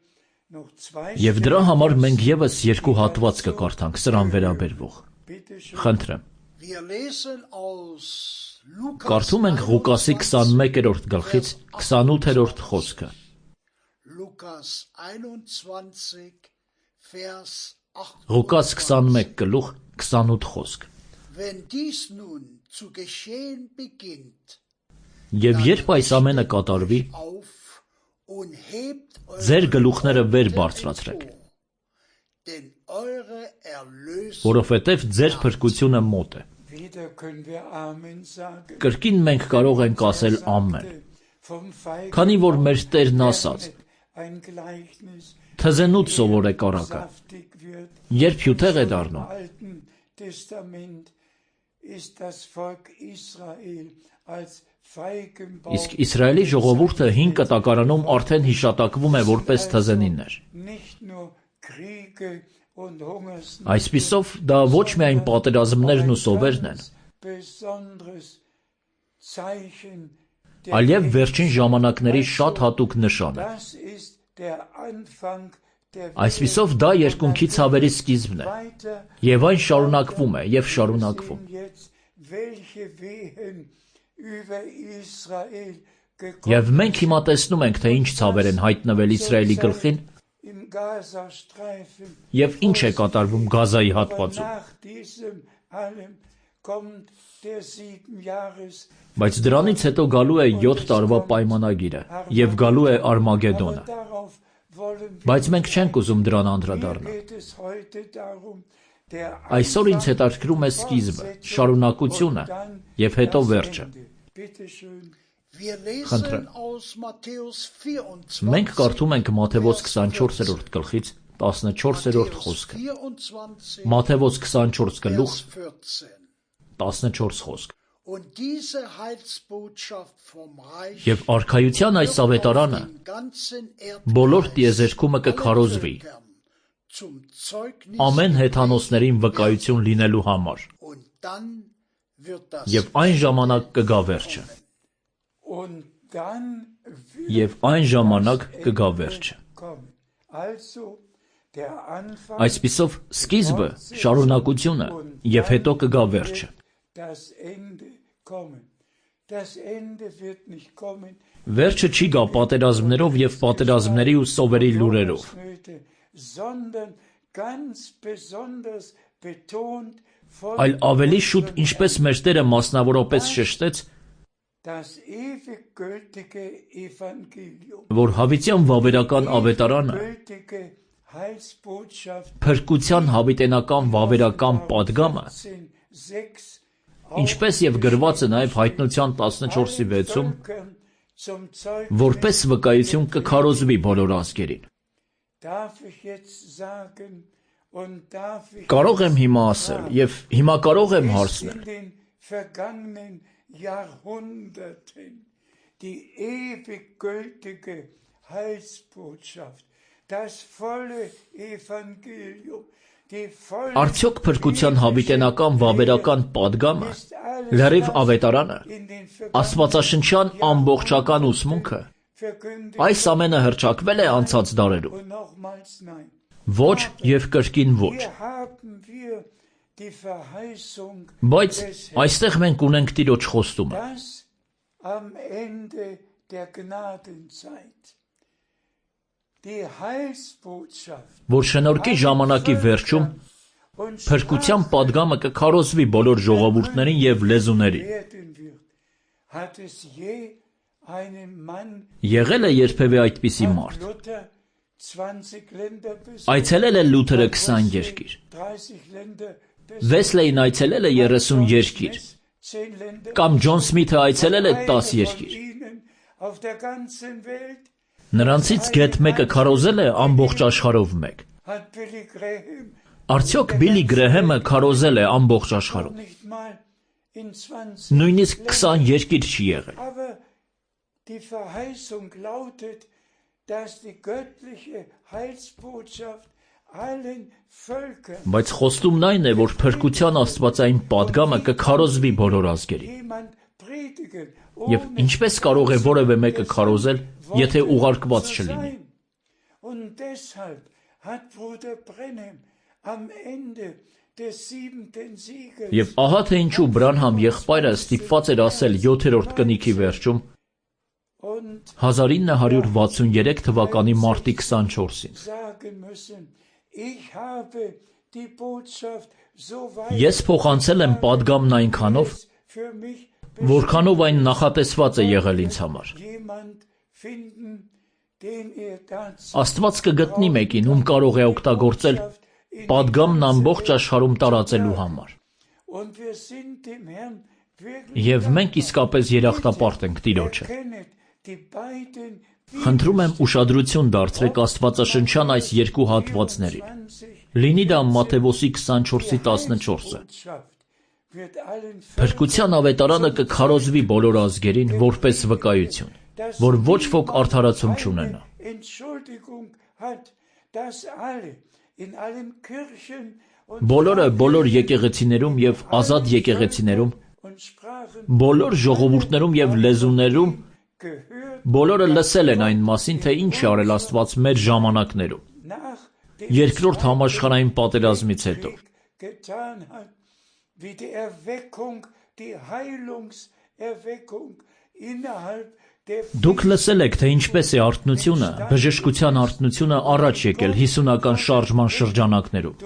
noch zwei Եվ դրա Stellen համար մենք եւս երկու հատված կկարդանք սրան վերաբերվող։ Bitte schön. Խնդրեմ, Wir lesen aus Lukas կարդում ենք Ղուկասի 21-րդ գլխից 28-րդ խոսքը։ Lukas 21, Vers 8. Ղուկաս 21 գլուխ 28 խոսք։ Wenn dies nun zu geschehen beginnt, Եվ երբ այս ամենը կատարվի, auf und hebt ձեր գլուխները վեր բարձրացրեք, denn eure Erlösung որովհետև ձեր փրկությունը մոտ է։ Wieder können wir Amen sagen. Կրկին մենք կարող ենք ասել ամեն, Vom Feigen քանի որ մեր Տերն ասաց. ein Gleichnis Թզենուց սովորեք առակը, saftig wird. երբ հյութեղ է Im դառնում, Alten Testament ist das Volk Israel als Feigenbaum իսկ Իսրայելի ժողովուրդը 5 կտակարանում արդեն հիշատակվում է որպես թզենիններ։ nicht nur Kriege und Hungersnöte, Այսպիսով դա ոչ միայն պատերազմներն ու սովերն են, besonderes Zeichen այլև վերջին ժամանակների շատ հատուկ նշան է։ Das ist der Anfang der Այսպիսով դա երկունքի ցավերի սկիզբն է, weiter եւ այն շարունակվում է եւ շարունակվում։ sehen jetzt, welche Wehen über Israel Եվ gekommen մենք հիմա տեսնում ենք, թե ինչ ցավեր են հայտնվել Իսրայելի գլխին im Gazastreifen. եւ ինչ է կատարվում Գազայի հատվածում։ Nach diesem allem kommt der 7 Jahres. Բայց դրանից հետո գալու է 7 տարվա պայմանագիրը եւ գալու է Արմագեդոնը։ Darauf wollen wir. Բայց մենք չենք ուզում դրան Hier անդրադառնալ։ geht es heute darum, der Այսօր ինձ հետաքրքրում է սկիզբը, շարունակությունը եւ հետո վերջը։ Bitte schön. Wir Խնդրեմ։ lesen aus Matthäus 24, Մենք կարդում ենք Մատթեոս 24-րդ գլխից 14-րդ խոսքը։ 24, Մատթեոս 24 գլուխ Vers 14. 14 խոսք։ Und diese Heilsbotschaft vom Reich Եվ արքայության այս ավետարանը den ganzen բոլոր Erdkreis տիեզերքումը կքարոզվի zum Zeugnis ամեն հեթանոսներին վկայություն լինելու համար։ und dann wird das Եվ այն ժամանակ կգա վերջը։ Und dann wird Եվ այն ժամանակ կգա վերջը։ kommen. Also der Anfang Այսպիսով սկիզբը, շարունակությունը եւ հետո կգա վերջը։ das Ende kommen. Das Ende wird nicht kommen. Վերջը չի գա պատերազմներով եւ պատերազմների ու սովերի լուրերով, Hungersnöte, sondern ganz besonders betont von այլ ավելի շուտ, ինչպես մեր Տերը մասնավորապես շեշտեց, das ewig gültige Evangelium. որ հավիտյան վավերական ավետարանը Gültige Heilsbotschaft փրկության հավիտենական վավերական падգամը, 6 ինչպես եւ գրված է նաեւ Հայտնության 14:6-ում, zum Zeugnis. որպես վկայություն կքարոզվի բոլոր ազգերին։ Darf ich jetzt sagen und darf ich Կարող եմ հիմա ասել եւ հիմա կարող եմ ist հարցնել, in den vergangenen Jahrhunderten die ewig gültige Heilsbotschaft, das volle Evangelium, die volle արդյոք փրկության հավիտենական վավերական падգամը, ist alles լրիվ das ավետարանը, in den Աստվածաշնչյան ամբողջական ուսմունքը, verkündigt այս ամենը հրճակվել է անցած դարերում։ und nochmals nein. Ոչ և կրկին ոչ։ Բայց այստեղ մենք ունենք Տիրոջ խոստումը, որ շնորհքի ժամանակի վերջում փրկության պատգամը կքարոզվի բոլոր ժողովուրդներին և լեզուներին։ Եղել է երբևէ այդպիսի մարդ։ Այցելել է Լութերը 20 երկիր։ Վեսլեին այցելել է 30 երկիր։ Կամ Ջոն Սմիթը այցելել է 10 երկիր։ Նրանցից գեթ մեկը քարոզել է ամբողջ աշխարհով մեկ։ Արդյոք Բիլի Գրեհեմը քարոզել է ամբողջ աշխարհով։ Նույնիսկ 20 երկիր չի եղել։ Բայց խոստումն այն է, որ փրկության աստվածային պատգամը կքարոզվի բոլոր ազգերին։ Եվ ինչպես կարող է որևէ մեկը քարոզել, եթե ուղարկված չլինի։ Եվ ահա թե ինչու Բրանհամ եղբայրը ստիպված էր ասել 7-րդ կնիքի վերջում 1963 թվականի մարտի 24-ին. Ես փոխանցել եմ պատգամն այնքանով, որքանով այն նախատեսված է եղել ինձ համար։ Աստված կգտնի մեկին, ում կարող է օգտագործել պատգամն ամբողջ աշխարհում տարածելու համար։ Եվ մենք իսկապես երախտապարտ ենք Տիրոջը։ Խնդրում եմ ուշադրություն դարձրեք աստվածաշնչյան այս երկու հատվածներին։ Լինի դա Մատթեոս 24:14-ը։ Փրկության ավետարանը կքարոզվի բոլոր ազգերին որպես վկայություն, որ ոչ ոք արդարացում չունենա։ Բոլորը բոլոր եկեղեցիներում և ազատ եկեղեցիներում, բոլոր ժողովուրդներում և լեզուներում, բոլորը լսել են այն մասին, թե ինչ է արել Աստված մեր ժամանակներում, երկրորդ համաշխարհային պատերազմից հետո։ Դուք լսել եք, թե ինչպես է արթնությունը, բժշկության արթնությունը առաջ եկել 50-ական շարժման շրջանակներում։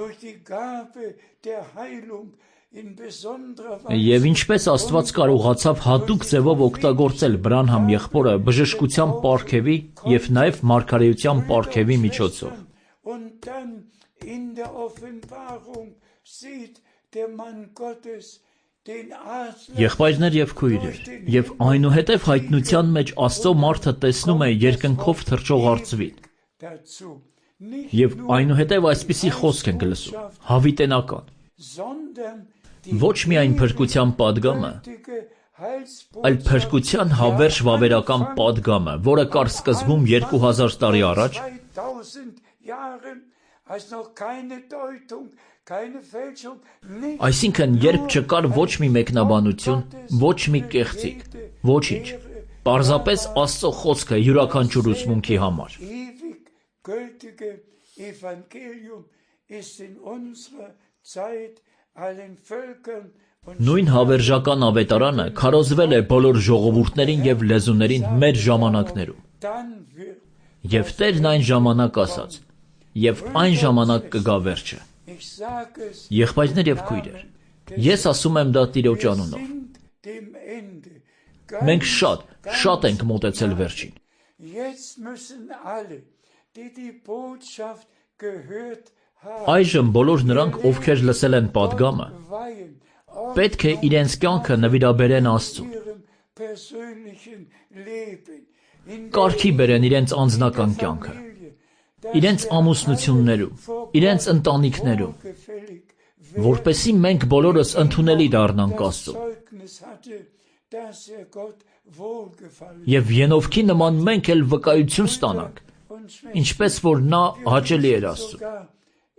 Եվ ինչպես Աստված կարողացավ հատուկ ձևով օգտագործել Բրանհամ եղբորը բժշկության պարգևի և նաև մարգարեության պարգևի միջոցով։ Եղբայրներ և քույրեր, և այնուհետև հայտնության մեջ Աստծո մարդը տեսնում է երկնքով թռչող արծվին։ Եվ այնուհետև այսպիսի խոսք ենք լսում, հավիտենական։ Ոչ միայն փրկության պատգամը, այլ փրկության հավերժ վավերական պատգամը, որը կար սկզբում 2000 տարի առաջ, այսինքն երբ չկար ոչ մի մեկնաբանություն, ոչ մի կեղծիք, ոչինչ, պարզապես Աստծո խոսքը յուրաքանչյուր ուսմունքի համար։ Նույն հավերժական ավետարանը քարոզվել է բոլոր ժողովուրդներին և լեզուներին մեր ժամանակներում։ Եվ Տերն այն ժամանակ ասաց. «Եվ այն ժամանակ կգա վերջը»։ Եղբայրներ և քույրեր, ես ասում եմ դա Տիրոջ անունով։ Մենք շատ ենք մոտեցել վերջին։ Այժմ բոլոր նրանք, ովքեր լսել են պատգամը, պետք է իրենց կյանքը նվիրաբերեն Աստծուն։ Կարգի բերեն իրենց անձնական կյանքը, իրենց ամուսնություններում, իրենց ընտանիքներում, որպեսզի մենք բոլորս ընդունելի դառնանք Աստծուն։ Եվ Ենովքի նման մենք էլ վկայություն ստանանք, ինչպես որ նա հաճելի էր Աստծուն։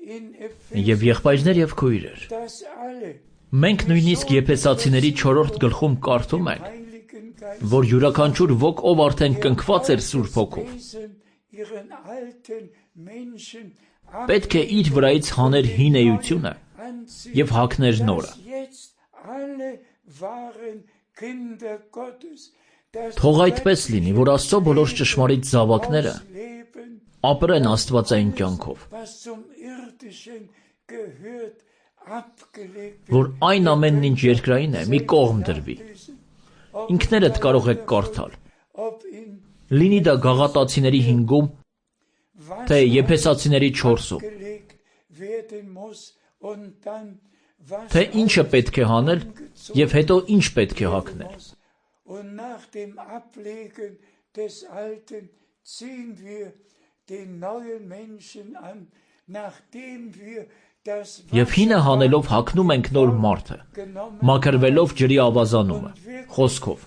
Եվ եղբայրներ և քույրեր, մենք նույնիսկ Եփեսացիների 4-րդ գլխում կարդում ենք, որ յուրաքանչյուր ոք, ով արդեն կնքված էր Սուրբ Հոգով, պետք է իր վրայից հաներ հին էությունը և հագներ նորը։ Թող այդպես լինի, որ Աստծո բոլոր ճշմարիտ զավակները ապրեն աստվածային կյանքով, որ այն ամենն ինչ երկրային է մի կողմ դրվի։ Ինքներդ կարող եք կարդալ, լինի դա Գաղատացիների 5-ում, թե Եփեսացիների 4-ում, թե ինչը պետք է հանել և հետո ինչ պետք է հագնել։ Եվ հինը հանելով հագնում ենք նոր մարդը, մաքրվելով ջրի ավազանումը, խոսքով։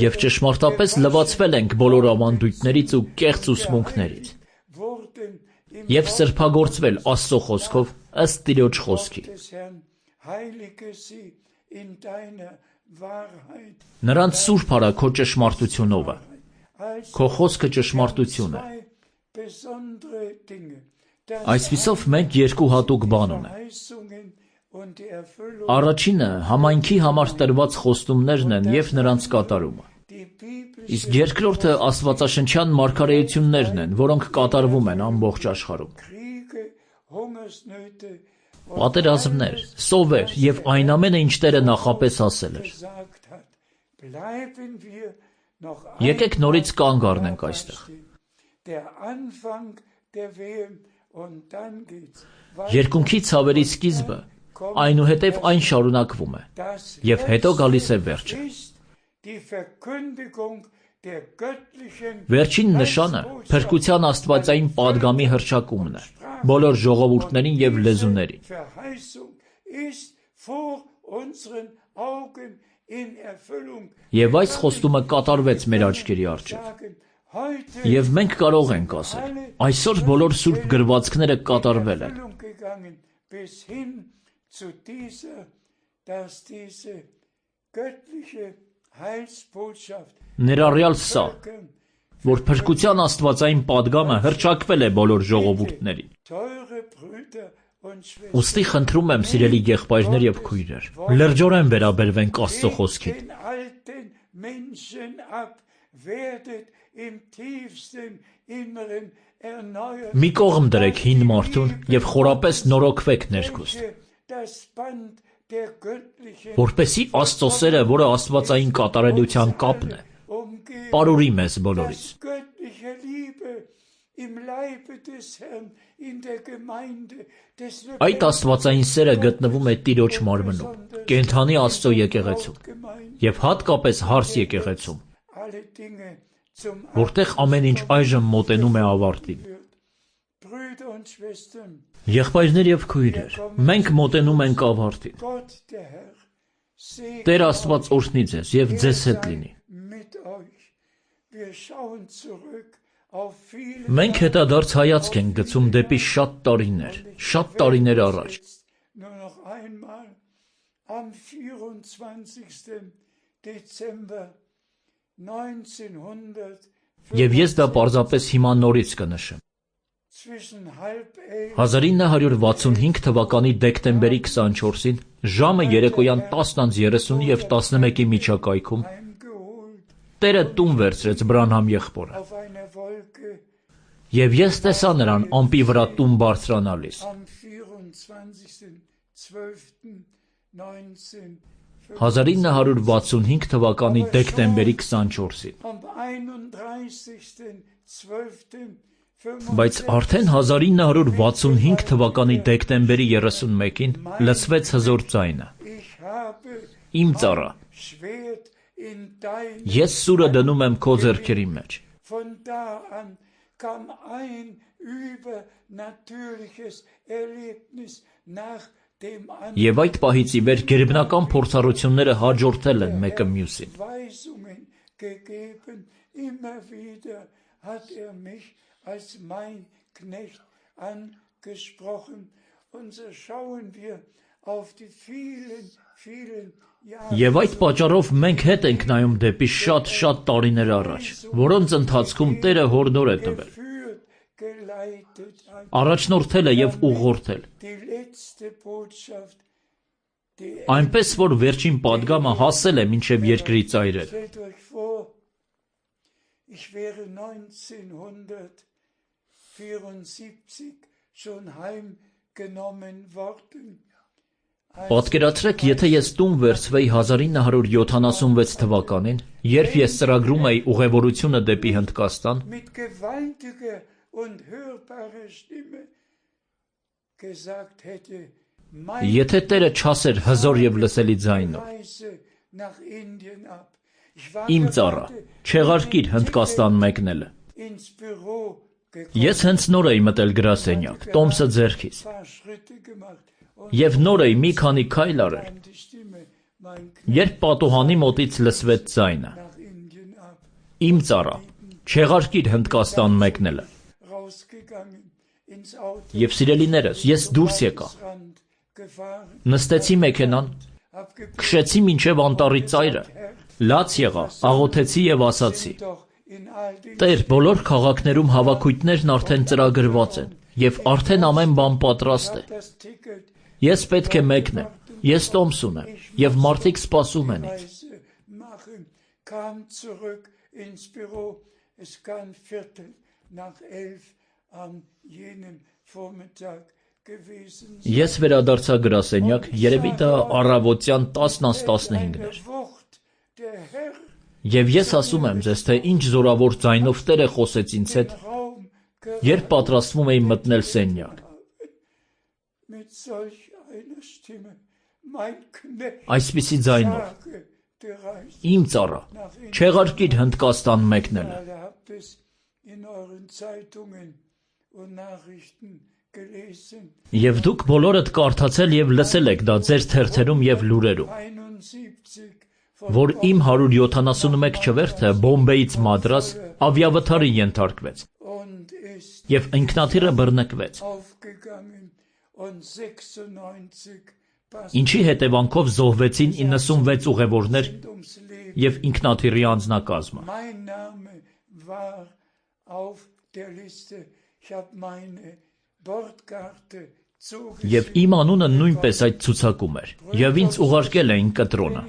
Եվ ճշմարտապես լվացվել ենք բոլոր ավանդույթներից ու կեղծ ուսմունքներից, և սրբագործվել Աստծո խոսքով ըստ Տիրոջ խոսքի։ Նրանց սուրբ արա քո ճշմարտությունովը, քո խոսքը ճշմարտություն է։ Այսպիսով մենք երկու հատուկ բան ունենք։ Առաջինը համայնքի համար տրված խոստումներն են և նրանց կատարումը, իսկ երկրորդը աստվածաշնչյան մարգարեություններն են, որոնք կատարվում են ամբողջ աշխարհում։ Պատերազմներ, սովեր և այն ամենը, ինչ Տերը նախապես ասել էր։ Եկեք նորից կանգ առնենք այստեղ։ Երկունքի ցավերի սկիզբը, այնուհետև այն շարունակվում է, և հետո գալիս է վերջը։ Վերջին նշանը փրկության աստվածային պատգամի հռչակումն է բոլոր ժողովուրդներին և լեզուներին։ Եվ այս խոստումը կատարվեց մեր աչքերի առջև։ Եվ մենք կարող ենք ասել. այսօր բոլոր սուրբ գրվածքները կատարվել են։ Ներառյալ սա, որ փրկության աստվածային պատգամը հռչակվել է բոլոր ժողովուրդներին։ Ուստի խնդրում եմ, սիրելի եղբայրներ և քույրեր, լրջորեն վերաբերվենք Աստծո խոսքին։ Մի կողմ դրեք հին մարդուն և խորապես նորոգվեք ներքուստ, որպեսզի Աստծո սերը, որը աստվածային կատարելության կապն է, պարուրի մեզ բոլորիս։ Այդ աստվածային սերը գտնվում է Տիրոջ մարմնում, կենդանի Աստծո եկեղեցում, և հատկապես հարս եկեղեցում, որտեղ ամեն ինչ այժմ մոտենում է ավարտին։ Եղբայրներ և քույրեր, մենք մոտենում ենք ավարտին։ Տեր Աստված օրհնի ձեզ և ձեզ հետ լինի։ Մենք հետադարձ հայացք ենք գցում դեպի շատ տարիներ առաջ։ Եվ ես դա պարզապես հիմա նորից կնշեմ։ 1965 թվականի դեկտեմբերի 24-ին ժամը երեկոյան 10:30 և 11-ի միջակայքում Տերը տուն վերցրեց Բրանհամ եղբորը, և ես տեսա նրան ամպի վրա տուն բարձրանալիս։ 1965 թվականի դեկտեմբերի 24-ին։ Բայց արդեն 1965 թվականի դեկտեմբերի 31-ին լսվեց հզոր ձայնը. «Իմ ծառա, ես սուրը դնում եմ քո ձեռքերի մեջ»։ Եվ այդ պահից ի վեր գերբնական փորձառությունները հաջորդել են մեկը մյուսին։ Եվ այդ պատճառով մենք հետ ենք նայում դեպի շատ տարիներ առաջ, որոնց ընթացքում Տերը հորդոր է տվել, առաջնորդել է և ուղղորդել, այնպես որ վերջին պատգամը հասել է մինչև երկրի ծայրերը։ Պատկերացրեք, եթե ես տուն վերցվեի 1976 թվականին, երբ ես ծրագրում էի ուղևորությունը դեպի Հնդկաստան, եթե Տերը չասեր հզոր և լսելի ձայնով. «Իմ ծառա, չեղարկիր Հնդկաստան մեկնելը», ես հենց նոր էի մտել գրասենյակ, տոմսը ձեռքիս, և նոր էի մի քանի քայլ արել, երբ պատուհանի մոտից լսվեց ձայնը. «Իմ ծառա, չեղարկիր Հնդկաստան մեկնելը»։ Եվ սիրելիներս, ես դուրս եկա, նստեցի մեքենան, քշեցի մինչև անտառի ծայրը, լաց եղա, աղոթեցի և ասացի. «Տեր, բոլոր քաղաքներում հավաքույթներն արդեն ծրագրված են, և արդեն ամեն բան պատրաստ է։ Ես պետք է մեկնեմ, ես տոմս ունեմ, և մարդիկ սպասում են ինձ»։ Ես վերադարձա գրասենյակ, երևի դա առավոտյան 10:15 էր։ Եվ ես ասում եմ ձեզ, թե ինչ զորավոր ձայնով Տերը խոսեց ինձ հետ, երբ պատրաստվում էի մտնել սենյակ։ Այսպիսի ձայնով. «Իմ ծառա, չեղարկիր Հնդկաստան մեկնելը»։ Եվ դուք բոլորդ կարդացել և լսել եք դա ձեր թերթերում և լուրերում, որ իմ 171 չվերթը Բոմբեից Մադրաս ավիավթարի ենթարկվեց, և ինքնաթիռը բռնկվեց, ինչի հետևանքով զոհվեցին 96 ուղևորներ և ինքնաթիռի անձնակազմը։ Եվ իմ անունը նույնպես այդ ցուցակում էր, և ինձ ուղարկել էին կտրոնը։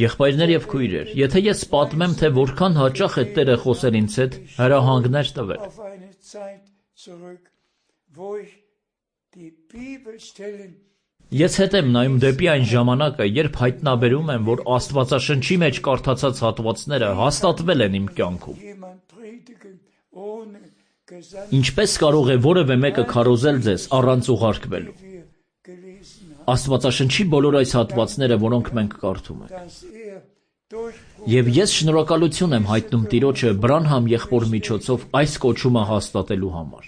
Եղբայրներ և քույրեր, եթե ես պատմեմ, թե որքան հաճախ է Տերը խոսել ինձ հետ, հրահանգներ տվել, ես հետ եմ նայում դեպի այն ժամանակը, երբ հայտնաբերում եմ, որ Աստվածաշնչի մեջ կարդացած հատվածները հաստատվել են իմ կյանքում։ Ինչպես կարող է որևէ մեկը քարոզել ձեզ առանց ուղարկվելու։ Աստվածաշնչի բոլոր այս հատվածները, որոնք մենք կարդում ենք։ Եվ ես շնորհակալություն եմ հայտնում Տիրոջը Բրանհամ եղբոր միջոցով այս կոչումը հաստատելու համար։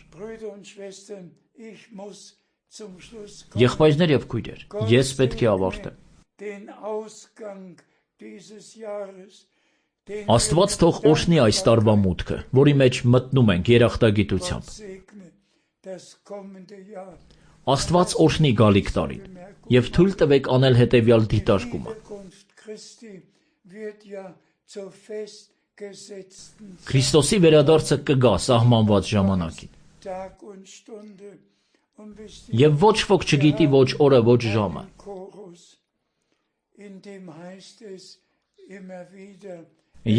Եղբայրներ և քույրեր, ես պետք է ավարտեմ։ Աստված թող օրհնի այս տարվա մուտքը, որի մեջ մտնում ենք երախտագիտությամբ։ Աստված օրհնի գալիք տարին, և թույլ տվեք անել հետևյալ դիտարկումը. Քրիստոսի վերադարձը կգա սահմանված ժամանակին։ Եվ ոչ ոք չգիտի ոչ օրը, ոչ ժամը։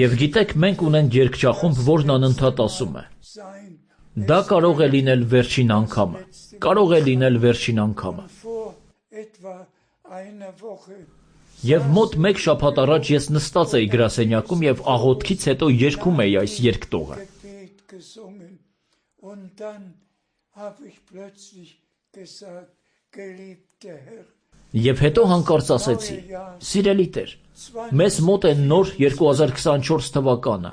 Եվ գիտեք, մենք ունենք երգչախումբ, որն անընդհատ ասում է. դա կարող է լինել վերջին անգամը, կարող է լինել վերջին անգամը։ Եվ մոտ մեկ շաբաթ առաջ ես նստած էի գրասենյակում և աղոթքից հետո երգում էի այս երգտողը։ Եվ հետո հանկարծ ասեցի. «Սիրելի Տեր, մեզ մոտ է նոր 2024 թվականը։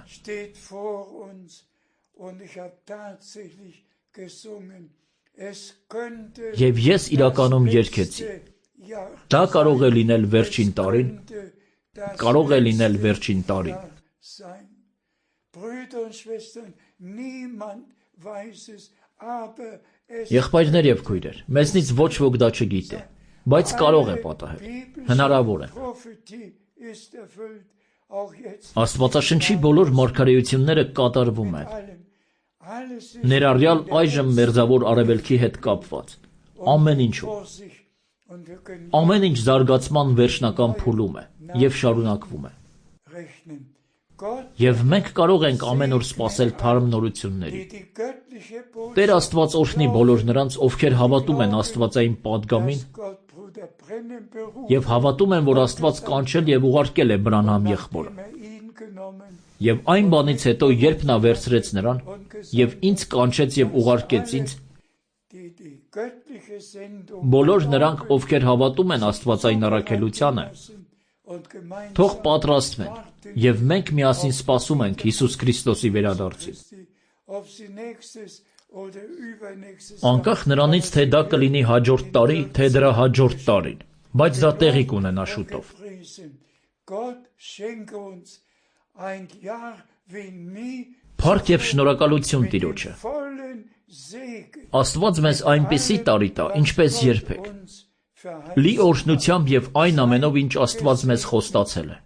Եվ ես իրականում երգեցի. դա կարող է լինել վերջին տարին, կարող է լինել վերջին տարին»։ Եղբայրներ եւ քույրեր, մեզնից ոչ ոք դա չգիտե, բայց կարող է պատահել, հնարավոր է։ Աստվածաշնչի բոլոր մարգարեությունները կատարվում են, ներառյալ այժմ մերձավոր արևելքի հետ կապված, ամեն ինչում։ Ամեն ինչ զարգացման վերջնական փուլում է եւ շարունակվում է։ Եվ մենք կարող ենք ամեն օր սպասել թարմ նորությունների։ Տեր Աստված օրհնի բոլոր նրանց, ովքեր հավատում են աստվածային պատգամին եւ հավատում են, որ Աստված կանչել եւ ուղարկել է Բրանհամ եղբորը։ Եվ այն բանից հետո, երբ նա վերցրեց նրան եւ ինձ կանչեց եւ ուղարկեց ինձ, բոլոր նրանք, ովքեր հավատում են աստվածային առաքելությանը, թող պատրաստվեն, եւ մենք միասին սպասում ենք Հիսուս Քրիստոսի վերադարձին։ Անկախ նրանից, թե դա կլինի հաջորդ տարի, թե դրա հաջորդ տարին, բայց դա տեղի կունենա շուտով։ Փառք եւ շնորհակալություն Տիրոջը։ Աստված մեզ այնպիսի տարի տա, ինչպես երբեք, լի օրհնությամբ եւ այն ամենով, ինչ Աստված մեզ խոստացել է։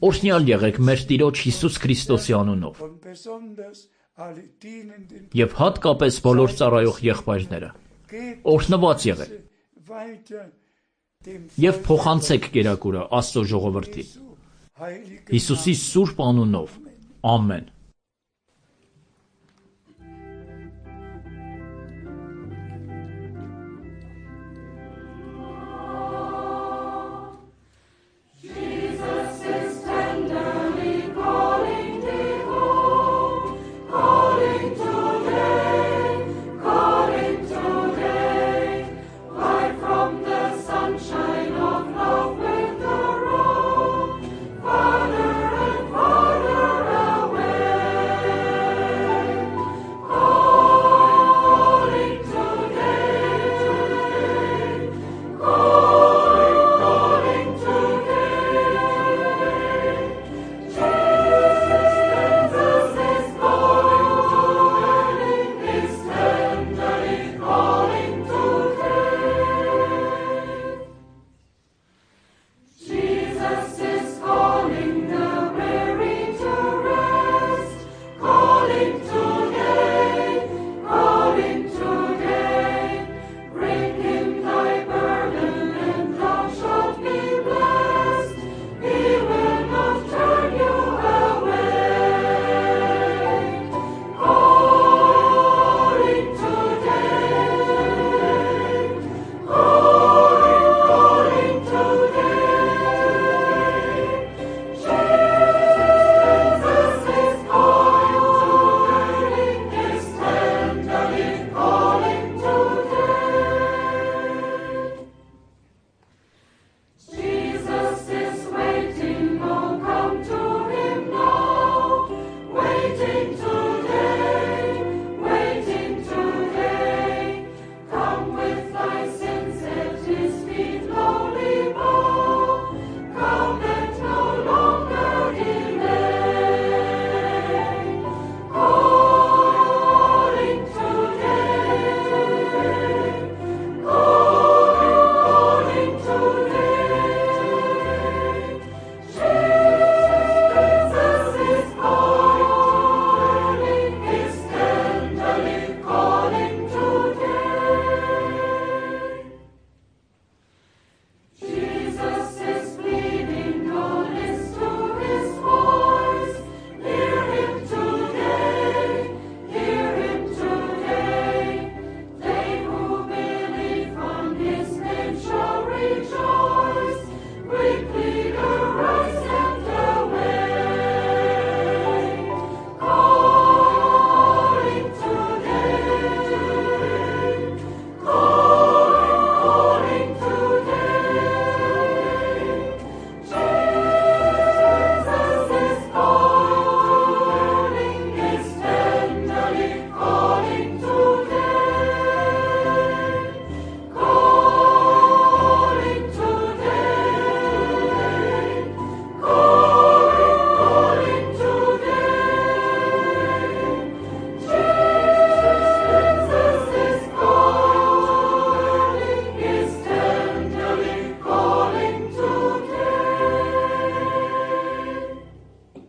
Օրհնյալ եղեք մեր Տիրոջ Հիսուս Քրիստոսի անունով։ Եվ հատկապես բոլոր ծառայող եղբայրները։ Օրհնված եղեք։ Եվ փոխանցեք կերակուրը Աստծո ժողովրդին։ Հիսուսի սուրբ անունով։ Ամեն։